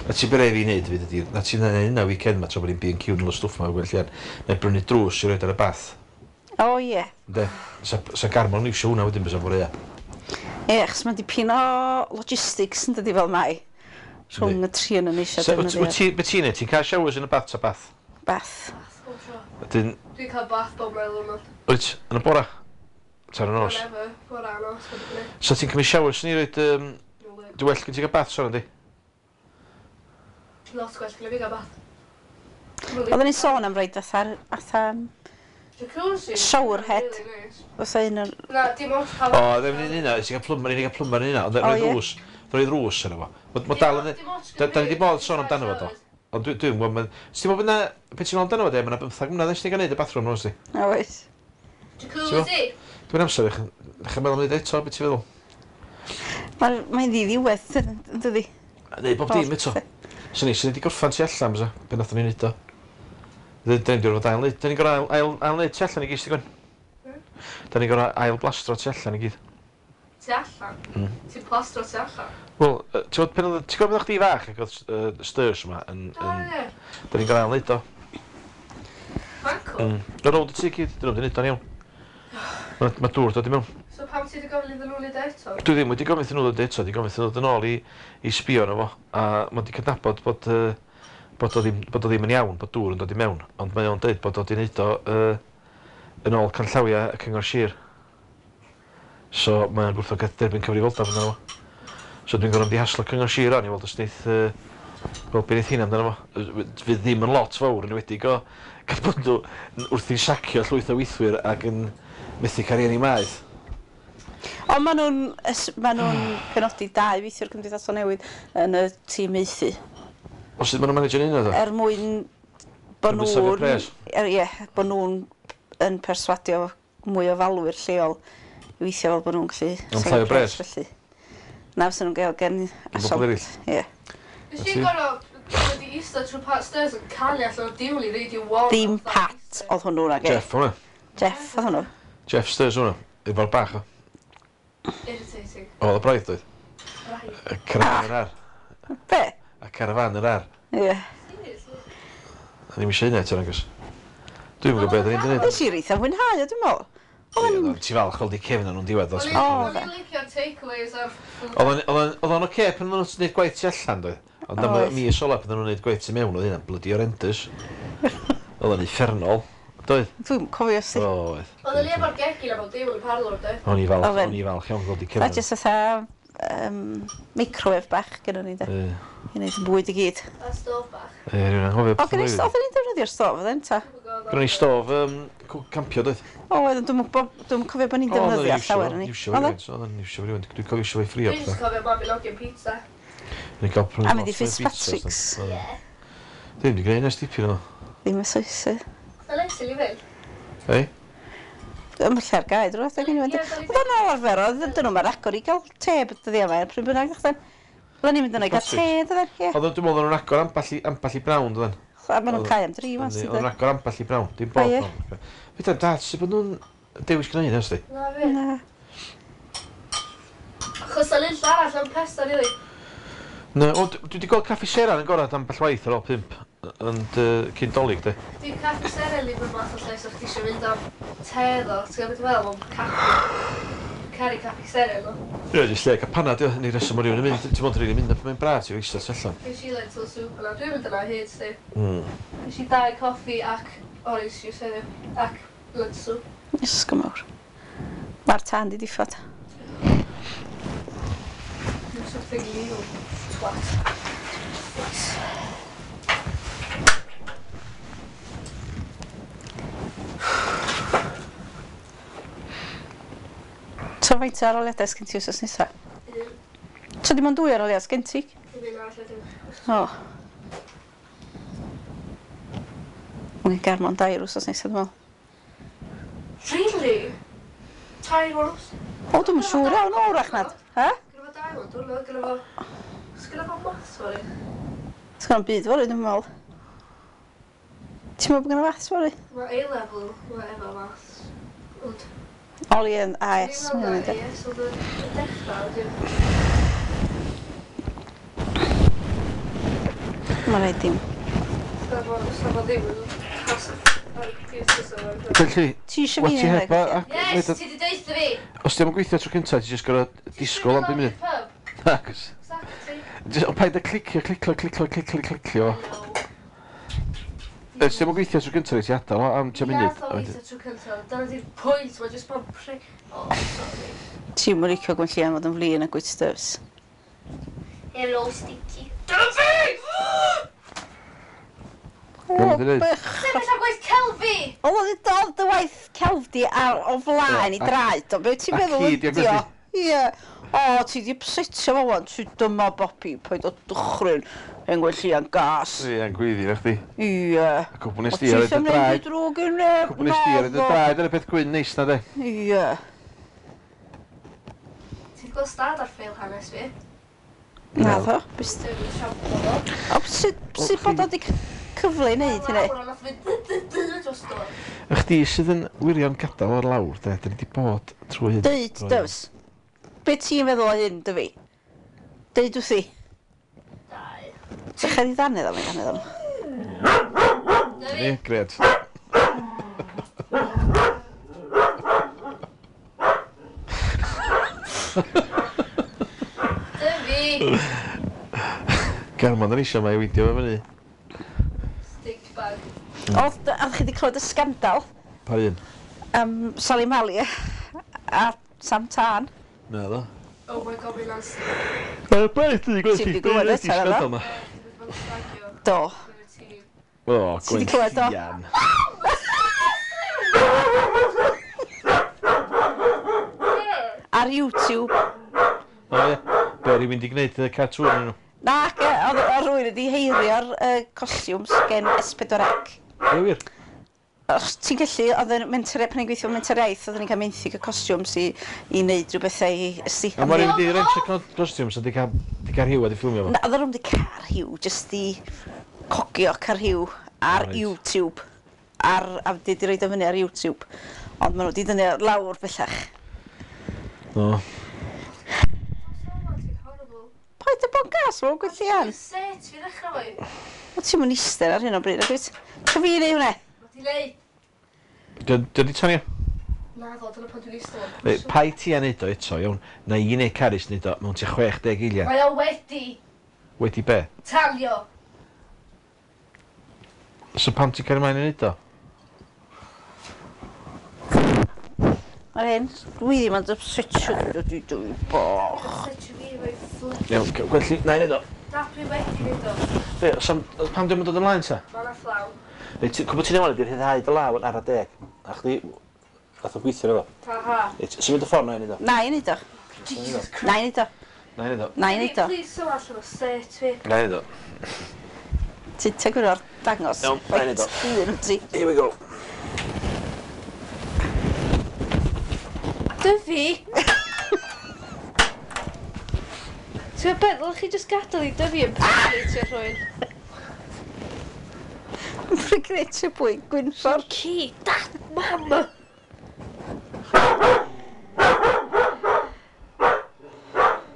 [SPEAKER 3] Na ti bere fi wneud fyd ydi, na ti'n neud hynna weekend ma tra bod ni'n B and Q yn ôl stwff ma gwell llian. Na i brynu drws i roed ar y bath.
[SPEAKER 1] O ie.
[SPEAKER 3] Ynde? Sa, sa Garmon yn iwsio hwnna wedyn bysa fore ia.
[SPEAKER 1] Ie, achos mae'n dipyn o logistics yn dydi fel mai. Rhwng y tri yn yn eisiau
[SPEAKER 3] Sa, wyt
[SPEAKER 1] defnyddio
[SPEAKER 3] wyt ti, be ti'n neud? Ti'n cael showers yn y bath ta bath?
[SPEAKER 1] bath.
[SPEAKER 2] Bath bob tro.
[SPEAKER 3] Wedyn,
[SPEAKER 2] Dwi'n cael bath bob mael diwrnod.
[SPEAKER 3] wyt, yn y bora? Ta'r y nos?
[SPEAKER 2] Whenever, bora nos, mae'n dibynnu.
[SPEAKER 3] Sa ti'n cymryd showers ni roed, um,
[SPEAKER 2] No way.
[SPEAKER 3] dwi well gen ti gael bath sôn yndi?
[SPEAKER 2] Lot gwell gyda fi gael bath.
[SPEAKER 1] Oedden ni'n sôn am roed fatha, fatha,
[SPEAKER 2] Jacuzzi.
[SPEAKER 1] Shower head.
[SPEAKER 2] Really nice.
[SPEAKER 1] fatha un o'r...
[SPEAKER 2] Na, dim ots cael...
[SPEAKER 3] O, ddim yn un yna, ti'n cael plymar, ni'n cael plymar yn un ond
[SPEAKER 1] O,
[SPEAKER 3] roedd
[SPEAKER 1] ie.
[SPEAKER 3] drws, roedd drws yna fo. Ma- Ma dal yn...
[SPEAKER 2] Dim ots
[SPEAKER 3] Da da ni 'di bod sôn amdano fo, do. Ond dwi- dwi'n gwybod, ma- Ti'n meddwl bod na, be ti'n meddwl amdano fo de, ma' 'na bymthag mlynedd ers ni gael neud y bathroom nhw, sti.
[SPEAKER 1] O, oes.
[SPEAKER 2] Jacuzzi.
[SPEAKER 3] Dwi'n amser i chi meddwl am neud eto, be ti'n feddwl?
[SPEAKER 1] Mae'n mae ddiddiwedd, yn dydi?
[SPEAKER 3] Neud bob dim eto. So ni, sy'n ni wedi gorffan tu allan, bysa, be nathon ni neud o. Da ni'n gorfod ail neud, da ni'n gorfod ail, ail, ail neud tu allan i gyd, Gwen. Da ni'n gorfod ail blastro tu allan i gyd.
[SPEAKER 2] Tu allan?
[SPEAKER 3] Mm.
[SPEAKER 2] Ti'n plastro tu allan?
[SPEAKER 3] Wel, yy, ti'n gwybod pan oedd, ti'n gwybod pan oedd chdi fach ac oedd uh, stairs yma yn,
[SPEAKER 2] O,
[SPEAKER 3] yn,
[SPEAKER 2] ie.
[SPEAKER 3] da ni'n gorfod ail neud o.
[SPEAKER 2] Mae'n cool.
[SPEAKER 3] Mm. Ar ôl y tŷ gyd, dyn nhw wedi neud o'n iawn. Mae ma dŵr dod i mewn.
[SPEAKER 2] So pam ti wedi gofyn iddyn nhw wneud e eto?
[SPEAKER 3] Dwi ddim wedi gofyn iddyn nhw ddod eto, wedi gofyn iddyn nhw ddod yn ôl i, i sbio arno fo. A mae wedi cydnabod bod, uh, bod, o ddim, bod o ddim yn iawn, bod dŵr yn dod i mewn. Ond mae o'n dweud bod o wedi neud o uh, yn ôl canllawiau y Cyngor Sir. So mae o'n gwrthod derbyn cyfrifoldeb amdano fo. So dwi'n gorfod mynd i haslo Cyngor Sir o'n i weld os neith, uh, wel, be neith hynna amdano fo. Yy, Fydd ddim yn lot fawr yn enwedig o gan bod nhw wrthi'n sacio llwyth o weithwyr ac yn methu cael rieni maeth.
[SPEAKER 1] Ond maen nhw'n ys- maen nhw'n penodi dau weithiwr cymdeithasol newydd yn y tîm maethu.
[SPEAKER 3] O sut maen nhw'n managio'n hynna ddo?
[SPEAKER 1] Er mwyn bod
[SPEAKER 3] Yn safio
[SPEAKER 1] nhw'n...
[SPEAKER 3] pres.
[SPEAKER 1] Er, ie, bod nhw'n yn perswadio mwy o falwyr lleol i weithio fel bod nhw'n gallu...
[SPEAKER 3] Am
[SPEAKER 1] safio
[SPEAKER 3] llai o bres.
[SPEAKER 1] Felly. Na, fysa nhw'n gael gen
[SPEAKER 3] bobl eraill.
[SPEAKER 1] Ie.
[SPEAKER 2] Nes i gorfod wedi eistedd trwy Pat Stairs yn canu allan o diwl i Radio One.
[SPEAKER 1] Dim Pat oedd hwnnw nag e.
[SPEAKER 3] Jeff hwnna.
[SPEAKER 1] Jeff oedd hwnnw.
[SPEAKER 3] Jeff Stairs hwnna. Efo'r bach o.
[SPEAKER 2] Irritating.
[SPEAKER 3] O, oedd y braidd doedd.
[SPEAKER 2] Right.
[SPEAKER 3] Y carafan yr ar.
[SPEAKER 1] Be?
[SPEAKER 3] A carafan yr ar.
[SPEAKER 1] Ie.
[SPEAKER 2] Seriously?
[SPEAKER 3] A ddim eisiau hynna eto nagos. Dwi'n gwybod beth o'n i'n gwneud.
[SPEAKER 1] Nes i reitha fwynhau o, dwi'n meddwl. Oedd yn...
[SPEAKER 3] Ti falch gweld i cefn nhw'n diwedd.
[SPEAKER 2] O'n
[SPEAKER 3] Oedd
[SPEAKER 2] i'n
[SPEAKER 1] O,
[SPEAKER 2] o'n i'n licio'r takeaways a'r...
[SPEAKER 3] o'n- oedd o'n- oedd o'n oce pan oedden nhw'n gwneud gwaith tu allan, doedd. Ond am y
[SPEAKER 1] Oedd.
[SPEAKER 3] mis ola pan oedden nhw'n gwneud gwaith tu mewn, oedd hynna'n bloody horrendous. Oedd o'n uffernol, doedd?
[SPEAKER 1] Dwi'n cofio si.
[SPEAKER 3] Oedd.
[SPEAKER 2] Oedden ni efo'r gegin a bob dim yn y parlwr, doedd?
[SPEAKER 3] O'n i falch,
[SPEAKER 1] Oedd e'n-
[SPEAKER 3] o'n i falch iawn gweld i
[SPEAKER 1] Na,
[SPEAKER 3] cefn.
[SPEAKER 1] jyst fatha um, microwave bach gyda ni, de.
[SPEAKER 3] Ie,
[SPEAKER 1] I wneud yn bwyd i gyd.
[SPEAKER 2] A stof bach.
[SPEAKER 3] Ie, rhywun anghofio
[SPEAKER 1] O,
[SPEAKER 3] beth
[SPEAKER 1] gyda
[SPEAKER 3] oedd.
[SPEAKER 1] ni oedden ni'n defnyddio'r stof, oedden, ta?
[SPEAKER 3] Gynnon ni stof um, campio, doedd?
[SPEAKER 1] O, oedden, dwi'm yn gwbo- dwi'm yn cofio bod ni'n defnyddio llawer yn ni.
[SPEAKER 3] Iwsio fo rhywun, so oedden ni'n iwsio fo rhywun. Dwi'n cofio iwsio fo i ffrio
[SPEAKER 2] Dwi'n just
[SPEAKER 3] pethau.
[SPEAKER 2] cofio Mabinogion pizza.
[SPEAKER 3] Ni'n cael prynu
[SPEAKER 1] A mynd i
[SPEAKER 3] lot o pizzas,
[SPEAKER 1] Fitzpatrick's.
[SPEAKER 3] doedd?
[SPEAKER 2] Ie.
[SPEAKER 3] Dwi'n wedi gwneud nes dipyn o.
[SPEAKER 1] Ddim y soesau.
[SPEAKER 2] Mae'n neis i li fynd.
[SPEAKER 3] Ei?
[SPEAKER 1] Ym lle'r gae, drwy adeg yn
[SPEAKER 2] Ie,
[SPEAKER 1] mynd.
[SPEAKER 2] da ni-
[SPEAKER 1] Oedd o'n ôl arfer, oedd dyn nhw'n agor i gael te dyddiau yma, pryd bynnag, chdan. Oedden ni'n mynd yna i gael te, dydden, ie.
[SPEAKER 3] Oedd dwi'n meddwl nhw'n agor ambell i, ambell i brawn, dydden.
[SPEAKER 1] A maen nhw'n cau am dri, wan.
[SPEAKER 3] Oedd yn agor ambell i brawn, dim bob brawn. Fydda, dad, sut bod nhw'n dewis gwneud, ys di?
[SPEAKER 2] Na, fi.
[SPEAKER 1] Na.
[SPEAKER 2] Achos o'n un arall am pesta, rili.
[SPEAKER 3] Na, o, dwi wedi gweld Caffi Seren yn gorau ambell waith ar ôl pump, ond cyn Dolig, di.
[SPEAKER 2] Dwi'n Caffi Seren ddim yn math o lle, so chdi eisiau mynd am te, ddo. Ti'n gwybod beth dwi'n meddwl, mae'n caffi. Caru Caffi Seren, ddo.
[SPEAKER 3] Ie, jyst lle cael panad, ie, ni reswm o rywun yn mynd. Ti'n mond rili mynd, mae'n braf ti'n eistedd tu allan.
[SPEAKER 2] Ges i lentil soup yna, dwi'n mynd yna hyd, sti.
[SPEAKER 3] Mm.
[SPEAKER 2] Ges i dau coffi ac orange juice heddiw, ac lentil soup.
[SPEAKER 1] Ysgol mawr. Mae'r tân di diffod.
[SPEAKER 2] Do something legal, twat. Nice.
[SPEAKER 1] So faint o aroliadau sgen ti wsos nesa?
[SPEAKER 2] Un.
[SPEAKER 1] So dim ond dwy aroliad sgen ti?
[SPEAKER 2] Dim un arall wedyn.
[SPEAKER 1] O. Mae'n Garmon dair wsos nesa, dwi'n meddwl.
[SPEAKER 2] Really? Tair wsos?
[SPEAKER 1] O, dwi'm yn siŵr iawn o wrach nad. Ha?
[SPEAKER 2] Gynna fo dau ond, dwi'n gynna fo... Sgynna fo maths fory?
[SPEAKER 1] Sgynna fo'm byd fory, dwi'n meddwl. Ti'n meddwl bod gynna maths fory?
[SPEAKER 2] Mae A-level, mae efo maths. Ond...
[SPEAKER 1] Oli yn A S.
[SPEAKER 2] Dwi'n meddwl na A S oedd yn dechrau, wedyn.
[SPEAKER 1] Mae'n rhaid dim.
[SPEAKER 2] Sna fo ddim yn pas ar y computer so fo.
[SPEAKER 3] Felly,
[SPEAKER 1] Ti eisiau fi
[SPEAKER 3] ti heb a...
[SPEAKER 2] Yes, ti di deutha fi!
[SPEAKER 3] Os ti am gweithio tro cyntaf, ti jyst gorfod disgwyl am bum munud. Nagos.
[SPEAKER 2] Exactly.
[SPEAKER 3] Ond paid â clicio, clicio, clicio, clicio, clicio. Os ti am gweithio tro cyntaf, ti adael am tua munud.
[SPEAKER 2] Ia, gweithio tro cyntaf. Dyna di'r pwynt, mae jyst bod pri... Oh, sorry.
[SPEAKER 1] Ti'n mwyn licio Gwenllian fod yn flin a gwyt dyfs.
[SPEAKER 2] Hello, Sticky. Dyna fi!
[SPEAKER 1] O, bych!
[SPEAKER 2] Sefyll ar gwaith celfi!
[SPEAKER 1] O, oedd oedd dy waith celf di ar o flaen i draed o. Be ti'n meddwl ydi o? Ie. O, ti di upsetio fo wan. Ti dyma Bobi, paid o dychryn. Hen Gwenllian gas.
[SPEAKER 3] Ie, yn gweiddi na chdi.
[SPEAKER 1] Ie.
[SPEAKER 3] A cwbl nes di ar y draed.
[SPEAKER 1] Drwg i neb.
[SPEAKER 3] Cwbl nes di ar y draed ar y peth gwyn neis na de.
[SPEAKER 1] Ie.
[SPEAKER 2] Ti'n gweld stad ar ffeil hanes fi?
[SPEAKER 1] Na ddo.
[SPEAKER 2] Dwi'n siampl o.
[SPEAKER 1] O, sut bod o di cyfle i wneud hynny?
[SPEAKER 3] A chdi sydd yn wirion gadael o'r lawr, de, dyn ni wedi bod trwy hyn.
[SPEAKER 1] Deud, dyfs. Be ti'n feddwl o hyn, dyfi? Deud wrthi.
[SPEAKER 2] Dau.
[SPEAKER 1] Dechrau di ddanedd am ei ddanedd am.
[SPEAKER 3] Ni, gred.
[SPEAKER 2] Dyfi!
[SPEAKER 3] Garmon yn eisiau mae i weithio fe fyny.
[SPEAKER 2] Stink bag.
[SPEAKER 1] Oedd, oedd chi wedi clywed y sgandal?
[SPEAKER 3] Pa un?
[SPEAKER 1] Um, Sally Mali a Sam Tân.
[SPEAKER 3] Na ddo.
[SPEAKER 2] Oh my god, mae'n nasty.
[SPEAKER 3] Mae'n beth i gweld
[SPEAKER 1] Ti wedi glywed eto,
[SPEAKER 3] sgandal ma.
[SPEAKER 1] Do.
[SPEAKER 3] O,
[SPEAKER 1] Ti wedi clywed o?
[SPEAKER 3] Gwenllian.
[SPEAKER 1] Ar YouTube.
[SPEAKER 3] O ie, be rywun wedi gwneud y cartŵn yn nhw?
[SPEAKER 1] Na, oedd rhywun wedi heirio'r uh, costiwms gen S pedwar C.
[SPEAKER 3] Ie wir?
[SPEAKER 1] Os ti'n gallu, oedd yn menter, pan i'n gweithio menter iaith, oedden ni'n cael menthyg y costiwms i, i wneud rhywbethau i ysti.
[SPEAKER 3] A mae rhywun wedi rentio costiwms a di cael, di cael rhyw a di ffilmio fo?
[SPEAKER 1] Na, oedd nhw'n wedi cael rhyw, jyst i cogio cael rhyw ar
[SPEAKER 3] Right.
[SPEAKER 1] YouTube. Ar, a di, di roed o fyny ar YouTube. Ond maen nhw wedi dynnu lawr bellach.
[SPEAKER 3] No.
[SPEAKER 1] Paid â bod yn gas, mae'n Gwenllian.
[SPEAKER 2] Set fi ddechrau fo.
[SPEAKER 1] O, ti'n mynd eistedd ar hyn o bryd, ac wyt? Cha fi neu hwnna?
[SPEAKER 2] Mae di neud.
[SPEAKER 3] Dio di tanio?
[SPEAKER 2] Na ddo, dyna pan dwi'n eistedd.
[SPEAKER 3] Reit, pai ti a neud o eto, iawn. Na i neu Carys neud o mewn tua chwech deg eiliad.
[SPEAKER 2] Mae o wedi
[SPEAKER 3] Wedi be?
[SPEAKER 2] talio.
[SPEAKER 3] So pam ti'n cario mlaen i neud o?
[SPEAKER 1] Mae'r hyn, dwi ddim yn upsetio, dwi dwi dwi boch.
[SPEAKER 2] Upsetio fi efo'i flip.
[SPEAKER 3] Iawn, Gwenlli, na i neud o.
[SPEAKER 2] Na, dwi wedi neud o.
[SPEAKER 3] Be, os am, pam di'm yn dod ymlaen ta?
[SPEAKER 2] Mae na fflaw.
[SPEAKER 3] Reit, cwbl ti'n newid ydi'r rhyddhau dy law yn ara deg. A chdi, fath o gweithio efo.
[SPEAKER 2] Ha ha.
[SPEAKER 3] Reit, symud y ffordd na i neud o.
[SPEAKER 1] Na i neud o.
[SPEAKER 2] Jesus Christ.
[SPEAKER 1] Na i neud o.
[SPEAKER 3] Na i neud o.
[SPEAKER 1] Na i neud o.
[SPEAKER 2] Please, so allan o set fi.
[SPEAKER 3] Na i neud o.
[SPEAKER 1] Ti'n tegwyr o'r dangos.
[SPEAKER 3] Iawn, na i neud o.
[SPEAKER 1] Un wyt ti.
[SPEAKER 3] Here we go.
[SPEAKER 2] Dyfi! Ti'n gwybod beth, ddylech chi jyst gadael i Dyfi yn impersonatio rhywun.
[SPEAKER 1] Dwi'n gwneud tribwy Gwynfor.
[SPEAKER 2] Ci, dad, mam!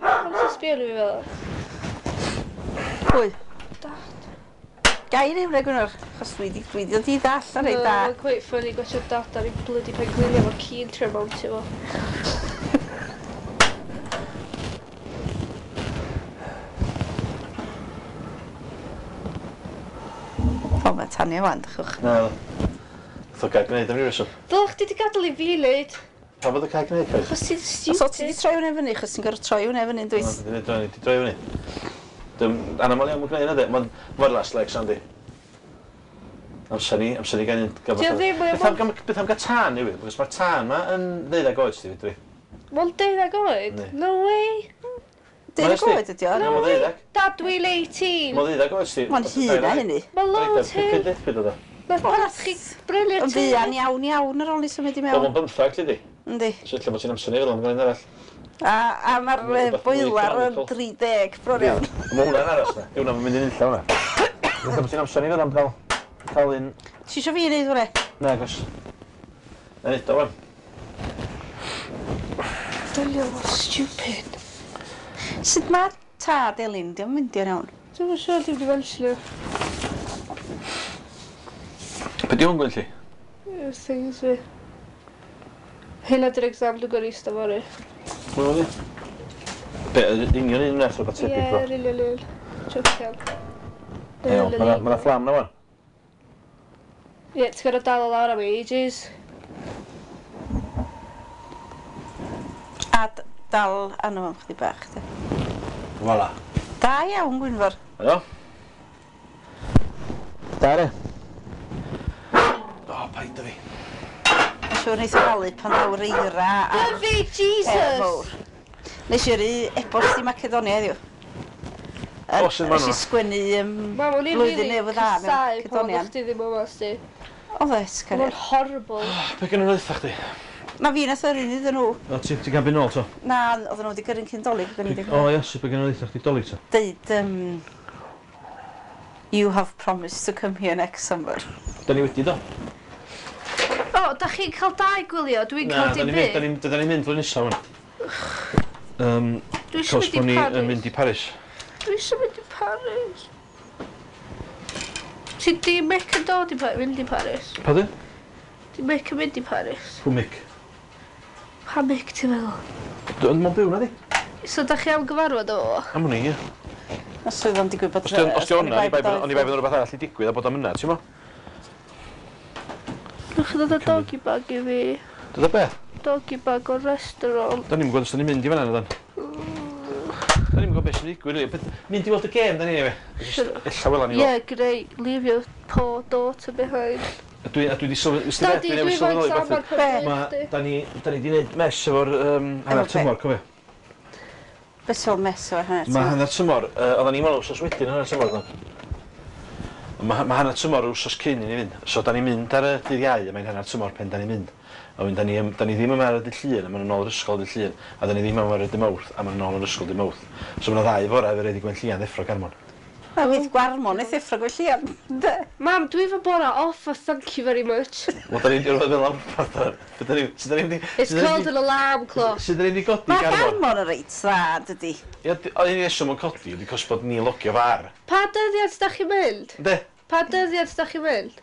[SPEAKER 2] Pam ti'n sbio arno fi fel 'a?
[SPEAKER 1] Pwy?
[SPEAKER 2] Dad.
[SPEAKER 1] Gai neud hwnna Gwynfor, achos dwi 'di dwi 'di dod i ddall ar rei da.
[SPEAKER 2] Mae'n quite funny gwatshio dad ar ei bloody penglinia efo'r ci'n trio mountio fo.
[SPEAKER 1] O, mae Tanya wan, dychwch.
[SPEAKER 3] Na. Nath o gael gwneud am ryw reswm.
[SPEAKER 2] Dylech chdi 'di gadael i fi neud.
[SPEAKER 3] Pam bod o cael gwneud, Chris?
[SPEAKER 2] Achos ti'n
[SPEAKER 1] Os o ti
[SPEAKER 2] stupid.
[SPEAKER 1] 'di troi hwnna fyny, achos ti'n gorfod troi hwnna fyny, dwyt?
[SPEAKER 3] Di droi di droi fyny. Dim anamal iawn mae'n gwneud yna, de. Mae'n mor last leg, Sandy. Amser ni, amser ni gan un...
[SPEAKER 2] Di o ddim, mae o
[SPEAKER 3] Beth am, beth am gael tân newydd? Because mae'r tân ma yn ddeuddeg oed, sti, fedri.
[SPEAKER 2] Mae'n deuddeg oed?
[SPEAKER 3] Yndi.
[SPEAKER 2] No way.
[SPEAKER 1] Deuddeg oed ydi o?
[SPEAKER 3] Na, mae'n ddeuddeg.
[SPEAKER 2] Dad, dwi'n eighteen.
[SPEAKER 3] Mae'n ddeuddeg oed, sti.
[SPEAKER 1] Mae'n hŷn na hynny.
[SPEAKER 2] Mae'n loads hŷn.
[SPEAKER 3] Pum deg oedd o.
[SPEAKER 2] Nath dad chi brynu'r
[SPEAKER 1] Yn
[SPEAKER 2] tŷ.
[SPEAKER 1] fuan iawn iawn ar ôl ni symud i
[SPEAKER 3] Wel,
[SPEAKER 1] mewn.
[SPEAKER 3] mae'n bymthag, ti di.
[SPEAKER 1] Yndi.
[SPEAKER 3] So ella bod ti'n amser ni fel am gwneud arall.
[SPEAKER 1] A, a mae'r
[SPEAKER 3] Rhywbeth
[SPEAKER 1] yy,
[SPEAKER 3] mwy
[SPEAKER 1] boiler yn
[SPEAKER 3] economical.
[SPEAKER 1] dri deg bron iawn.
[SPEAKER 3] Mae hwnna'n aros na. Yw hwnna'n mynd yn unlla hwnna. Ella bod ti'n amser ni fel am gael cael un...
[SPEAKER 1] Ti isio fi wneud hwnna?
[SPEAKER 3] Na, gos. Na neud o, wan.
[SPEAKER 2] Dylio, mor stupid.
[SPEAKER 1] Sut mae tad Elin? Di o'm mynd i'n iawn.
[SPEAKER 2] Dwi'm yn siŵr, dim di mentionio.
[SPEAKER 3] Be di hwn Gwenlli?
[SPEAKER 2] Yy, Things fi. Hynna di'r exam dwi'n gorau eistedd fory.
[SPEAKER 3] Pwy oedd hi? Be, yr union un wnaeth rhywbeth
[SPEAKER 2] Ie,
[SPEAKER 3] tebyg bro?
[SPEAKER 2] yr union un. Jocian.
[SPEAKER 3] Iawn, ma' 'na- ma' 'na fflam na wan.
[SPEAKER 2] Ie, ti'n gorfod dal o lawr am ages.
[SPEAKER 1] A d- dal arno fo am chydig bach. De.
[SPEAKER 3] Voilà.
[SPEAKER 1] Da iawn, Gwynfor.
[SPEAKER 3] Ydo? Da re. O, paid â fi.
[SPEAKER 1] Mae'n siŵr neith o falu pan ddaw'r eira a'r
[SPEAKER 2] Dyfu,
[SPEAKER 1] peth
[SPEAKER 2] Jesus!
[SPEAKER 1] fawr. Nes i yrru e-bost i Macedonia heddiw.
[SPEAKER 3] O, sut ma'
[SPEAKER 1] Nes i
[SPEAKER 3] nhw?
[SPEAKER 1] sgwennu um,
[SPEAKER 2] Mam, o'n i'n
[SPEAKER 1] blwyddyn
[SPEAKER 2] rili
[SPEAKER 1] newydd dda mewn
[SPEAKER 2] casau pan
[SPEAKER 1] Macedonian.
[SPEAKER 2] oeddech chdi ddim yma, sti.
[SPEAKER 1] Oedd e,
[SPEAKER 2] Oedd o'n
[SPEAKER 1] cariad.
[SPEAKER 2] horrible.
[SPEAKER 3] Be gen nhw'n ddeutha chdi?
[SPEAKER 1] Na fi nath yrru iddyn nhw.
[SPEAKER 3] O, ti ti gael byd nôl to?
[SPEAKER 1] Na, oedden nhw wedi gyrru'n cyn dolyg. Oedden ni wedi
[SPEAKER 3] O, ie, sut be gen nhw'n ddeutha chdi dolyg to?
[SPEAKER 1] deud, um, you have promised to come here next summer.
[SPEAKER 3] Da ni wedi do?
[SPEAKER 2] O, da chi'n cael dau gwylio, dwi'n
[SPEAKER 3] Na,
[SPEAKER 2] cael
[SPEAKER 3] da
[SPEAKER 2] dim
[SPEAKER 3] ni'n mynd, da
[SPEAKER 2] byd.
[SPEAKER 3] ni'n da ni'n mynd flwyddyn nesaf wan. Um,
[SPEAKER 2] Dwi eisiau
[SPEAKER 3] Cos
[SPEAKER 2] mynd i
[SPEAKER 3] bod ni yn
[SPEAKER 2] Paris.
[SPEAKER 3] mynd i Paris.
[SPEAKER 2] Dwi eisiau mynd i Paris. Ti di Mick yn dod i Pa- mynd i Paris?
[SPEAKER 3] Pa di?
[SPEAKER 2] Di Mick yn mynd i Paris?
[SPEAKER 3] Pw Mick?
[SPEAKER 2] Pa Mick ti'n meddwl?
[SPEAKER 3] Dwi'n mwyn byw na di?
[SPEAKER 2] So da chi am gyfarfod o?
[SPEAKER 3] Am hwnni, ie.
[SPEAKER 1] Os oedd o'n digwydd bod...
[SPEAKER 3] Os di os di o'na, oni bai bod oni bai bod rhywbeth arall i digwydd a bod o'n yna, ti'n mo?
[SPEAKER 2] Newch chi ddod â doggy bag i fi.
[SPEAKER 3] Dod o beth?
[SPEAKER 2] Doggy bag o'r restaurant.
[SPEAKER 3] Da ni'n gwybod os da ni'n mynd i fan'na, na dan. Da ni'n gwybod beth sy'n digwydd, rili. Beth- Mynd i weld y gêm, da ni, anyway.
[SPEAKER 2] Shut up.
[SPEAKER 3] Ella wela ni
[SPEAKER 2] Yeah, great. Leave your poor daughter behind.
[SPEAKER 3] A dwi, a dwi di sylwi... Wsti beth,
[SPEAKER 2] Daddy,
[SPEAKER 3] dwi
[SPEAKER 2] dwi
[SPEAKER 3] newydd
[SPEAKER 2] efo
[SPEAKER 3] sylweddoli
[SPEAKER 2] exam
[SPEAKER 3] beth.
[SPEAKER 2] ar pen
[SPEAKER 3] Ma,
[SPEAKER 2] chdi.
[SPEAKER 3] da ni, da ni di wneud mess efo'r um, hanner
[SPEAKER 1] Efo be?
[SPEAKER 3] tymor, cofio?
[SPEAKER 1] Beth sy'n mess o'r hanner
[SPEAKER 3] Mae
[SPEAKER 1] tymor?
[SPEAKER 3] hanner tymor, uh, oedden ni'n meddwl wsos wedyn hanner tymor, do'n. Mae ma hanner tymor wsos cyn i ni fynd. So da ni'n mynd ar y dydd Iau, a mae'n hanner tymor pen da ni'n mynd. A wedyn da ni, da ni ddim yma ar y dydd Llun, a maen nhw'n ôl yr ysgol dydd Llun. A da ni ddim yma ar y dydd Mawrth, a maen nhw'n ôl yr ysgol dydd Mawrth. So mae yna ddau fora efo reid i Gwenllian ddeffro Garmon.
[SPEAKER 1] Na, wyth Gwarmon, eith effro Gwenllian. De.
[SPEAKER 2] Mam, dwi efo bora off, a thank you very much.
[SPEAKER 3] Wel, da ni'n rhywbeth fel am rhywbeth. Da ni, sut da ni'n mynd i...
[SPEAKER 2] It's called an alarm clock.
[SPEAKER 3] Sut da ni'n mynd i godi
[SPEAKER 1] Mae
[SPEAKER 3] Garmon?
[SPEAKER 1] Garmon yn reit dda, dydy.
[SPEAKER 3] Ie, di- o, un reswm yn codi ydi cos bod ni'n logio far.
[SPEAKER 2] Pa dyddiad da chi'n mynd?
[SPEAKER 3] Ynddi?
[SPEAKER 2] Pa dyddiad da chi'n mynd?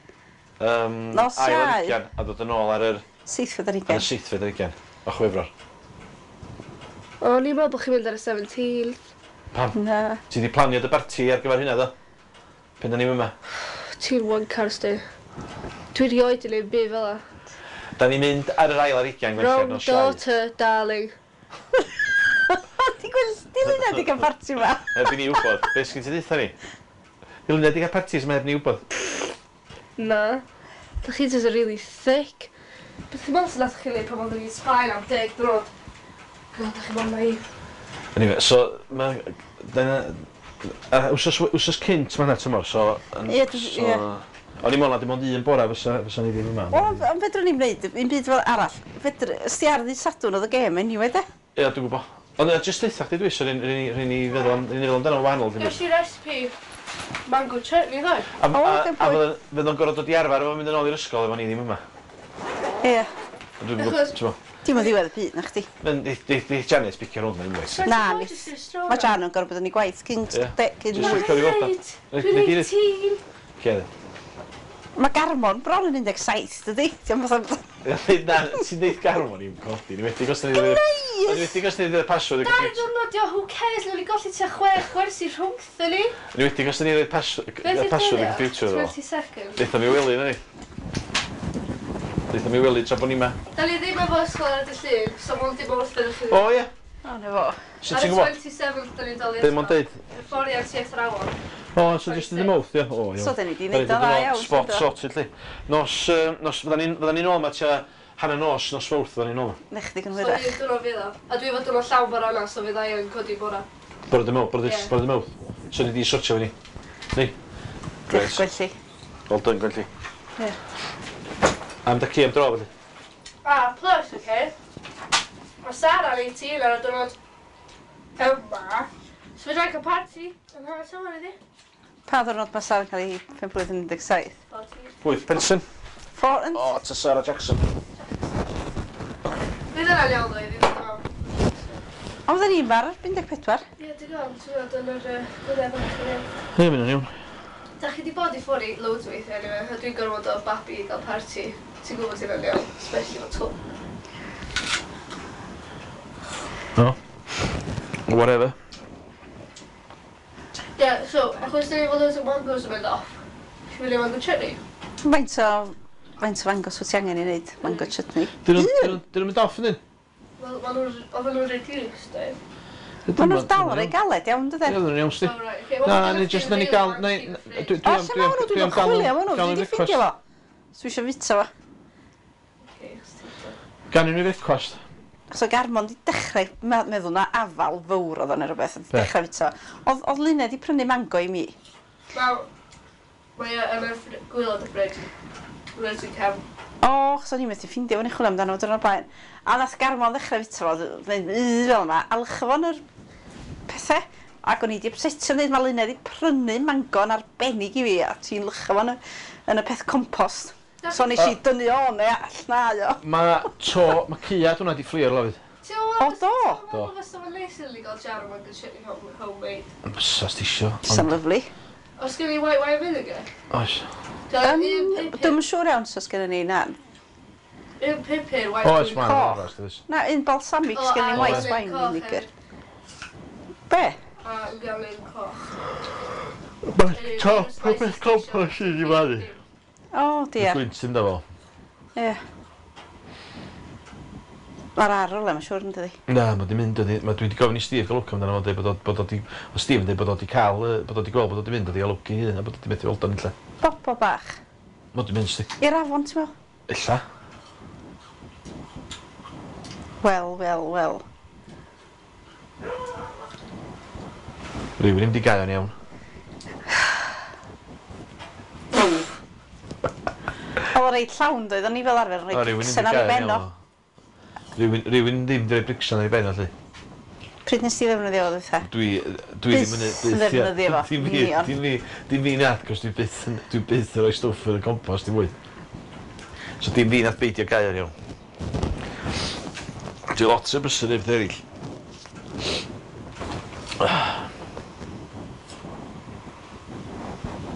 [SPEAKER 3] Um,
[SPEAKER 1] Nos
[SPEAKER 3] ail ar
[SPEAKER 1] Iau.
[SPEAKER 3] ugian, a dod yn ôl ar yr,
[SPEAKER 1] Seithfed ar
[SPEAKER 3] ar y
[SPEAKER 1] ugain.
[SPEAKER 3] seithfed ar ugain o Chwefror.
[SPEAKER 2] O, o'n i'n meddwl bod chi'n mynd ar y seventeenth.
[SPEAKER 3] Pam?
[SPEAKER 1] Na.
[SPEAKER 3] Ti di planio dy barti ar gyfer hynna, do? Pen da ni'n yma.
[SPEAKER 2] Ti'n one car sti. Dwi rioed yn neud byd fel 'a.
[SPEAKER 3] Da ni'n mynd ar yr ail ar ugain Gwenllian
[SPEAKER 2] Wrong
[SPEAKER 3] nos Iau.
[SPEAKER 2] daughter, darling.
[SPEAKER 1] Di gweld, di Luna di gael parti ma.
[SPEAKER 3] Heb i ni wybod. Be sgyn ti deutha ni? Di Luna di gael partis ma heb ni wybod.
[SPEAKER 2] Na. Da chi just yn really thick. Beth i'n meddwl sy'n nath chi neud pan oeddwn i'n Sbaen am deg diwrnod? God, da chi mor naif.
[SPEAKER 3] Anyway, so, ma... Dyna... A wsos, wsos cynt ma' hynna tymor, so... yn-
[SPEAKER 1] Ie, dwi-
[SPEAKER 3] so,
[SPEAKER 1] ie.
[SPEAKER 3] O'n i'n meddwl na dim ond un bora fysa, fysa ni ddim yma.
[SPEAKER 1] O, ond fedrwn ni'n wneud, un byd fel arall. Fedr, sti ar ddydd Sadwrn oedd y gêm anyway, de?
[SPEAKER 3] Ie, dwi'n gwybod. Ond uh, jyst deutha chdi dwi, so rydyn ni feddwl am- rydyn ni feddwl amdano wahanol. dim
[SPEAKER 2] Ges i recipe. Mango chutney, ddo.
[SPEAKER 3] A,
[SPEAKER 1] O,
[SPEAKER 3] a,
[SPEAKER 1] good
[SPEAKER 3] a
[SPEAKER 1] point.
[SPEAKER 3] fydd fydd o'n gorfod dod i arfer efo mynd yn ôl i'r ysgol efo ni ddim yma.
[SPEAKER 1] Ie.
[SPEAKER 3] Dwi'n
[SPEAKER 2] Achos-
[SPEAKER 3] gwybod,
[SPEAKER 1] Dim o ddiwedd y byd na chdi.
[SPEAKER 3] Ti'n Di Janet bicio rownd na unwaith.
[SPEAKER 1] Na, Mae Jan yn gorfod bod yn ei gwaith cyn...
[SPEAKER 3] Ie.
[SPEAKER 1] de- cyn
[SPEAKER 3] Jyst
[SPEAKER 1] wyth.
[SPEAKER 3] licio i weld o.
[SPEAKER 2] Dwi'n
[SPEAKER 3] Nei di-
[SPEAKER 2] eighteen.
[SPEAKER 3] Cedd.
[SPEAKER 1] Mae Garmon bron yn un deg saith, dydy? Ti'n fatha...
[SPEAKER 3] Na, ti'n deud Garmon i'n codi. Ni wedi gos ni ddweud... Ni wedi gos ni ddweud password y
[SPEAKER 2] Dau
[SPEAKER 3] computer.
[SPEAKER 2] diwrnod, dio, who cares, nawn ni golli tua chwech gwersi rhwngtho ni.
[SPEAKER 3] Ni wedi gos ni ddweud password y computer iddo fo.
[SPEAKER 2] twenty-second.
[SPEAKER 3] Deutha mi wely, na ni. Deutha mi wely tra bod ni ma.
[SPEAKER 2] Da ni ddim efo ysgol ar y dydd Llun, so mae'n dim wrth ydych chi.
[SPEAKER 3] O ie.
[SPEAKER 1] O, na fo.
[SPEAKER 3] Sut
[SPEAKER 2] Ar
[SPEAKER 3] ti'n
[SPEAKER 2] y
[SPEAKER 3] gwybod?
[SPEAKER 2] twenty-seventh da ni'n dal i
[SPEAKER 3] Be mae'n deud?
[SPEAKER 2] Hyfforddiant i athrawon.
[SPEAKER 3] O, so jyst yn y mouth, ie. O, iawn.
[SPEAKER 1] So, dyn ni 'di neud o dda iawn.
[SPEAKER 3] Spot
[SPEAKER 1] do?
[SPEAKER 3] sorted, li. Nos, yy, nos, fydda ni'n fydda ni'n ôl ma tua hanner nos, nos Fawrth fydda ni'n ôl.
[SPEAKER 1] Neu chdi yn
[SPEAKER 2] So
[SPEAKER 1] hwyrach.
[SPEAKER 2] un diwrnod fydd o. A dwi efo diwrnod llawn bora yna, so fydd i yn codi bora.
[SPEAKER 3] Bore dy mawrth, bore
[SPEAKER 2] Ie.
[SPEAKER 3] dy mawrth. So ni di sortio fyny. Ni.
[SPEAKER 1] Diolch, Gwenlli.
[SPEAKER 3] Well done, Gwenlli.
[SPEAKER 1] Ie.
[SPEAKER 3] Am da ci am dro, felly.
[SPEAKER 2] Ah, plus, okay. Mae Sara yn eighteen ar y diwrnod yma. So fydda i'n cael party yn hanner tymor iddi.
[SPEAKER 1] Pa ddwrnod mae Sara'n cael ei pen blwydd yn un deg saith?
[SPEAKER 2] Party.
[SPEAKER 3] Pwy, Penson?
[SPEAKER 1] Four and...
[SPEAKER 3] O, ta Sarah Jackson.
[SPEAKER 2] Fydd yna'n iawn ddo iddi ddod yma.
[SPEAKER 1] Ond fydden ni'n bar un deg pedwar.
[SPEAKER 2] Ie, dwi'n gwybod, ti'n gwybod, yn yr yy, gwyliau bach yn iawn.
[SPEAKER 3] Ie, mynd yn iawn.
[SPEAKER 2] Da chi di bod i ffwrdd i loads o weithiau anyway, a dwi'n gorfod o babi i gael party. Ti'n gwybod hynna'n iawn, especially efo twm.
[SPEAKER 3] No. Whatever.
[SPEAKER 2] Yeah, so, achos dyn ni efo loads o mangoes yn mynd off. Chi fynd i mango chutney?
[SPEAKER 1] Faint o... Faint o fangos wyt ti angen i wneud mango chutney?
[SPEAKER 3] Dyn nhw'n dyn nhw'n mynd off, yndyn?
[SPEAKER 2] Wel, maen nhw'n, oedden nhw'n reduced, eh?
[SPEAKER 1] Maen nhw'n dal rei galed iawn,
[SPEAKER 3] Ie,
[SPEAKER 1] dydyn?
[SPEAKER 3] dyn nhw'n iawn, sti.
[SPEAKER 2] Oh, right, okay.
[SPEAKER 3] Na, ni jyst, na ni gael, na, dwi
[SPEAKER 1] O, lle ma' hwnnw? Dwi'n chwilio am hwnnw, dwi wedi ffindio fo. So eisiau fita fo.
[SPEAKER 2] Okay, os ti'n
[SPEAKER 3] Gan i ni frecwast.
[SPEAKER 1] So Garmon di dechrau me- meddwl na afal fawr oedd o'n rhywbeth, di
[SPEAKER 3] Be?
[SPEAKER 1] dechrau fita fo. Oedd, oedd Luned di prynu mango i mi.
[SPEAKER 2] Wel, mae o yn y ffr- gwaelod y fridge. Rydw i'n cefn.
[SPEAKER 1] O, chos o'n i'n methu ffindio fo'n i chwilio amdano fo diwrnod blaen. A nath Garmon ddechrau fita fo, dweud, "Yy," fel yma, a lycho fo'n yr pethau. Ac o'n i di upsetio dweud, mae Luned di prynu mango yn arbennig i fi, a ti'n lycho fo'n y, yn y peth compost. So nes i dynnu o neu all o.
[SPEAKER 3] Mae to, mae caead hwnna di fflio ar lafydd.
[SPEAKER 2] Ti'n meddwl
[SPEAKER 1] O, do?
[SPEAKER 2] Ti'n meddwl fysa fo'n neis i ni gael jar o mango chutney home, homemade?
[SPEAKER 3] Bysa, sti isio.
[SPEAKER 1] Sa'n lyfli.
[SPEAKER 2] Os gen i white wine vinegar?
[SPEAKER 3] Oes.
[SPEAKER 2] Dwi'n
[SPEAKER 1] Um,
[SPEAKER 2] un
[SPEAKER 1] Dwi'm yn siŵr iawn os gennym ni na.
[SPEAKER 2] Un pupur white
[SPEAKER 3] Oes,
[SPEAKER 2] wine.
[SPEAKER 3] ma'n
[SPEAKER 1] Coch.
[SPEAKER 3] oes, oes.
[SPEAKER 1] Na, un balsamic
[SPEAKER 2] O,
[SPEAKER 1] sgen
[SPEAKER 2] a
[SPEAKER 1] ni white
[SPEAKER 2] un
[SPEAKER 1] wine
[SPEAKER 2] coch
[SPEAKER 1] vinegar.
[SPEAKER 2] hefyd.
[SPEAKER 1] Be?
[SPEAKER 2] A gael un coch.
[SPEAKER 3] Mae top o beth compost i di blannu.
[SPEAKER 1] O, diar.
[SPEAKER 3] Gwynt ddim da fo.
[SPEAKER 1] Ie. Mae'r arol e, mae'n siŵr yn dydi.
[SPEAKER 3] Na, mae di mynd, ydi. Mae dwi wedi gofyn i Steve gael lwc amdano fo'n dweud bod o, bod o di, o Steve yn dweud bod o di cael, yy, bod o di gweld bod o di mynd, o di gael lwc i hun, a bod o di methu weld o'n lle.
[SPEAKER 1] Bobo bach.
[SPEAKER 3] Mae di mynd, sti.
[SPEAKER 1] I'r afon, ti'n meddwl?
[SPEAKER 3] Ella.
[SPEAKER 1] Wel, wel, wel.
[SPEAKER 3] Rhywun ddim di gael o'n iawn.
[SPEAKER 1] Oedd o reit llawn, doedd, o'n i fel arfer yn
[SPEAKER 3] O,
[SPEAKER 1] rhoi
[SPEAKER 3] rhywun ddim
[SPEAKER 1] bricsen
[SPEAKER 3] di
[SPEAKER 1] ar ei
[SPEAKER 3] gael o'n
[SPEAKER 1] ben o.
[SPEAKER 3] iawn. Rhywun, rhywun ddim di rhoi bricsan ar ei ben o, lle.
[SPEAKER 1] Pryd nes ti ddefnyddio fo, dwytha?
[SPEAKER 3] Dwi, dwi ddim yn...
[SPEAKER 1] Byth yn ddefnyddio fo,
[SPEAKER 3] Dim fi,
[SPEAKER 1] union.
[SPEAKER 3] dim fi, dim fi nath, cos dwi byth, yn- dwi byth yn rhoi stwff yn y compost i fwyd. So dim fi nath beidio gael o'n iawn. Dwi lot o brysur efo eraill.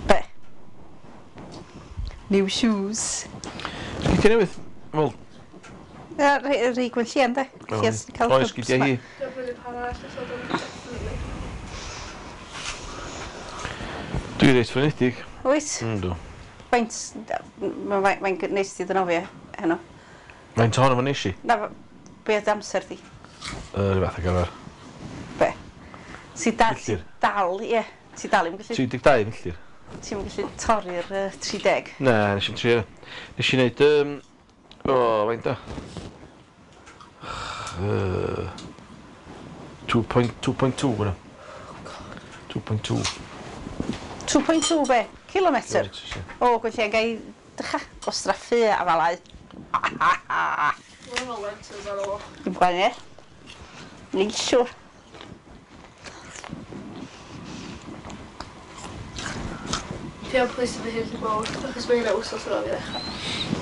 [SPEAKER 1] Be? New shoes.
[SPEAKER 3] Sgidiau newydd? Wel,
[SPEAKER 1] Ie, rhei rhei Gwenllian, de. Lleian sy'n cael
[SPEAKER 3] oes,
[SPEAKER 1] hubs
[SPEAKER 3] sgidiau
[SPEAKER 1] ma.
[SPEAKER 3] hi.
[SPEAKER 2] Dwi'n prynu par arall os oedd o'n definitely.
[SPEAKER 3] Dwi reit flinedig.
[SPEAKER 1] Wyt?
[SPEAKER 3] Yndw.
[SPEAKER 1] Faint, mae'n mae'n neis ti ddynofio heno.
[SPEAKER 3] Faint ohono fo nes i?
[SPEAKER 1] Na, be oedd amser di?
[SPEAKER 3] Yy, Rhyw fath ag arfer.
[SPEAKER 1] Be? Ti da, ti
[SPEAKER 3] Milltir.
[SPEAKER 1] dal, ie. Ti dal i'm gallu,
[SPEAKER 3] tri deg dau milltir.
[SPEAKER 1] ti'n gallu torri'r uh, tri deg.
[SPEAKER 3] Na, nes i'm trio. Nes i wneud... Um, o, faint o? Uh, two point two hwnna. two point two.
[SPEAKER 1] two point two be? Kilometr?
[SPEAKER 3] Kilometres, ie.
[SPEAKER 1] O, Gwenllian, gai dycha gwastraffu a falau.
[SPEAKER 2] Mae'n efo lentils ar ôl.
[SPEAKER 1] Dim gwahaniaeth. Ni'n siŵr.
[SPEAKER 2] Gobeithio plis fy hyn mawr, achos mae hynna wsos ar ôl i ddechrau.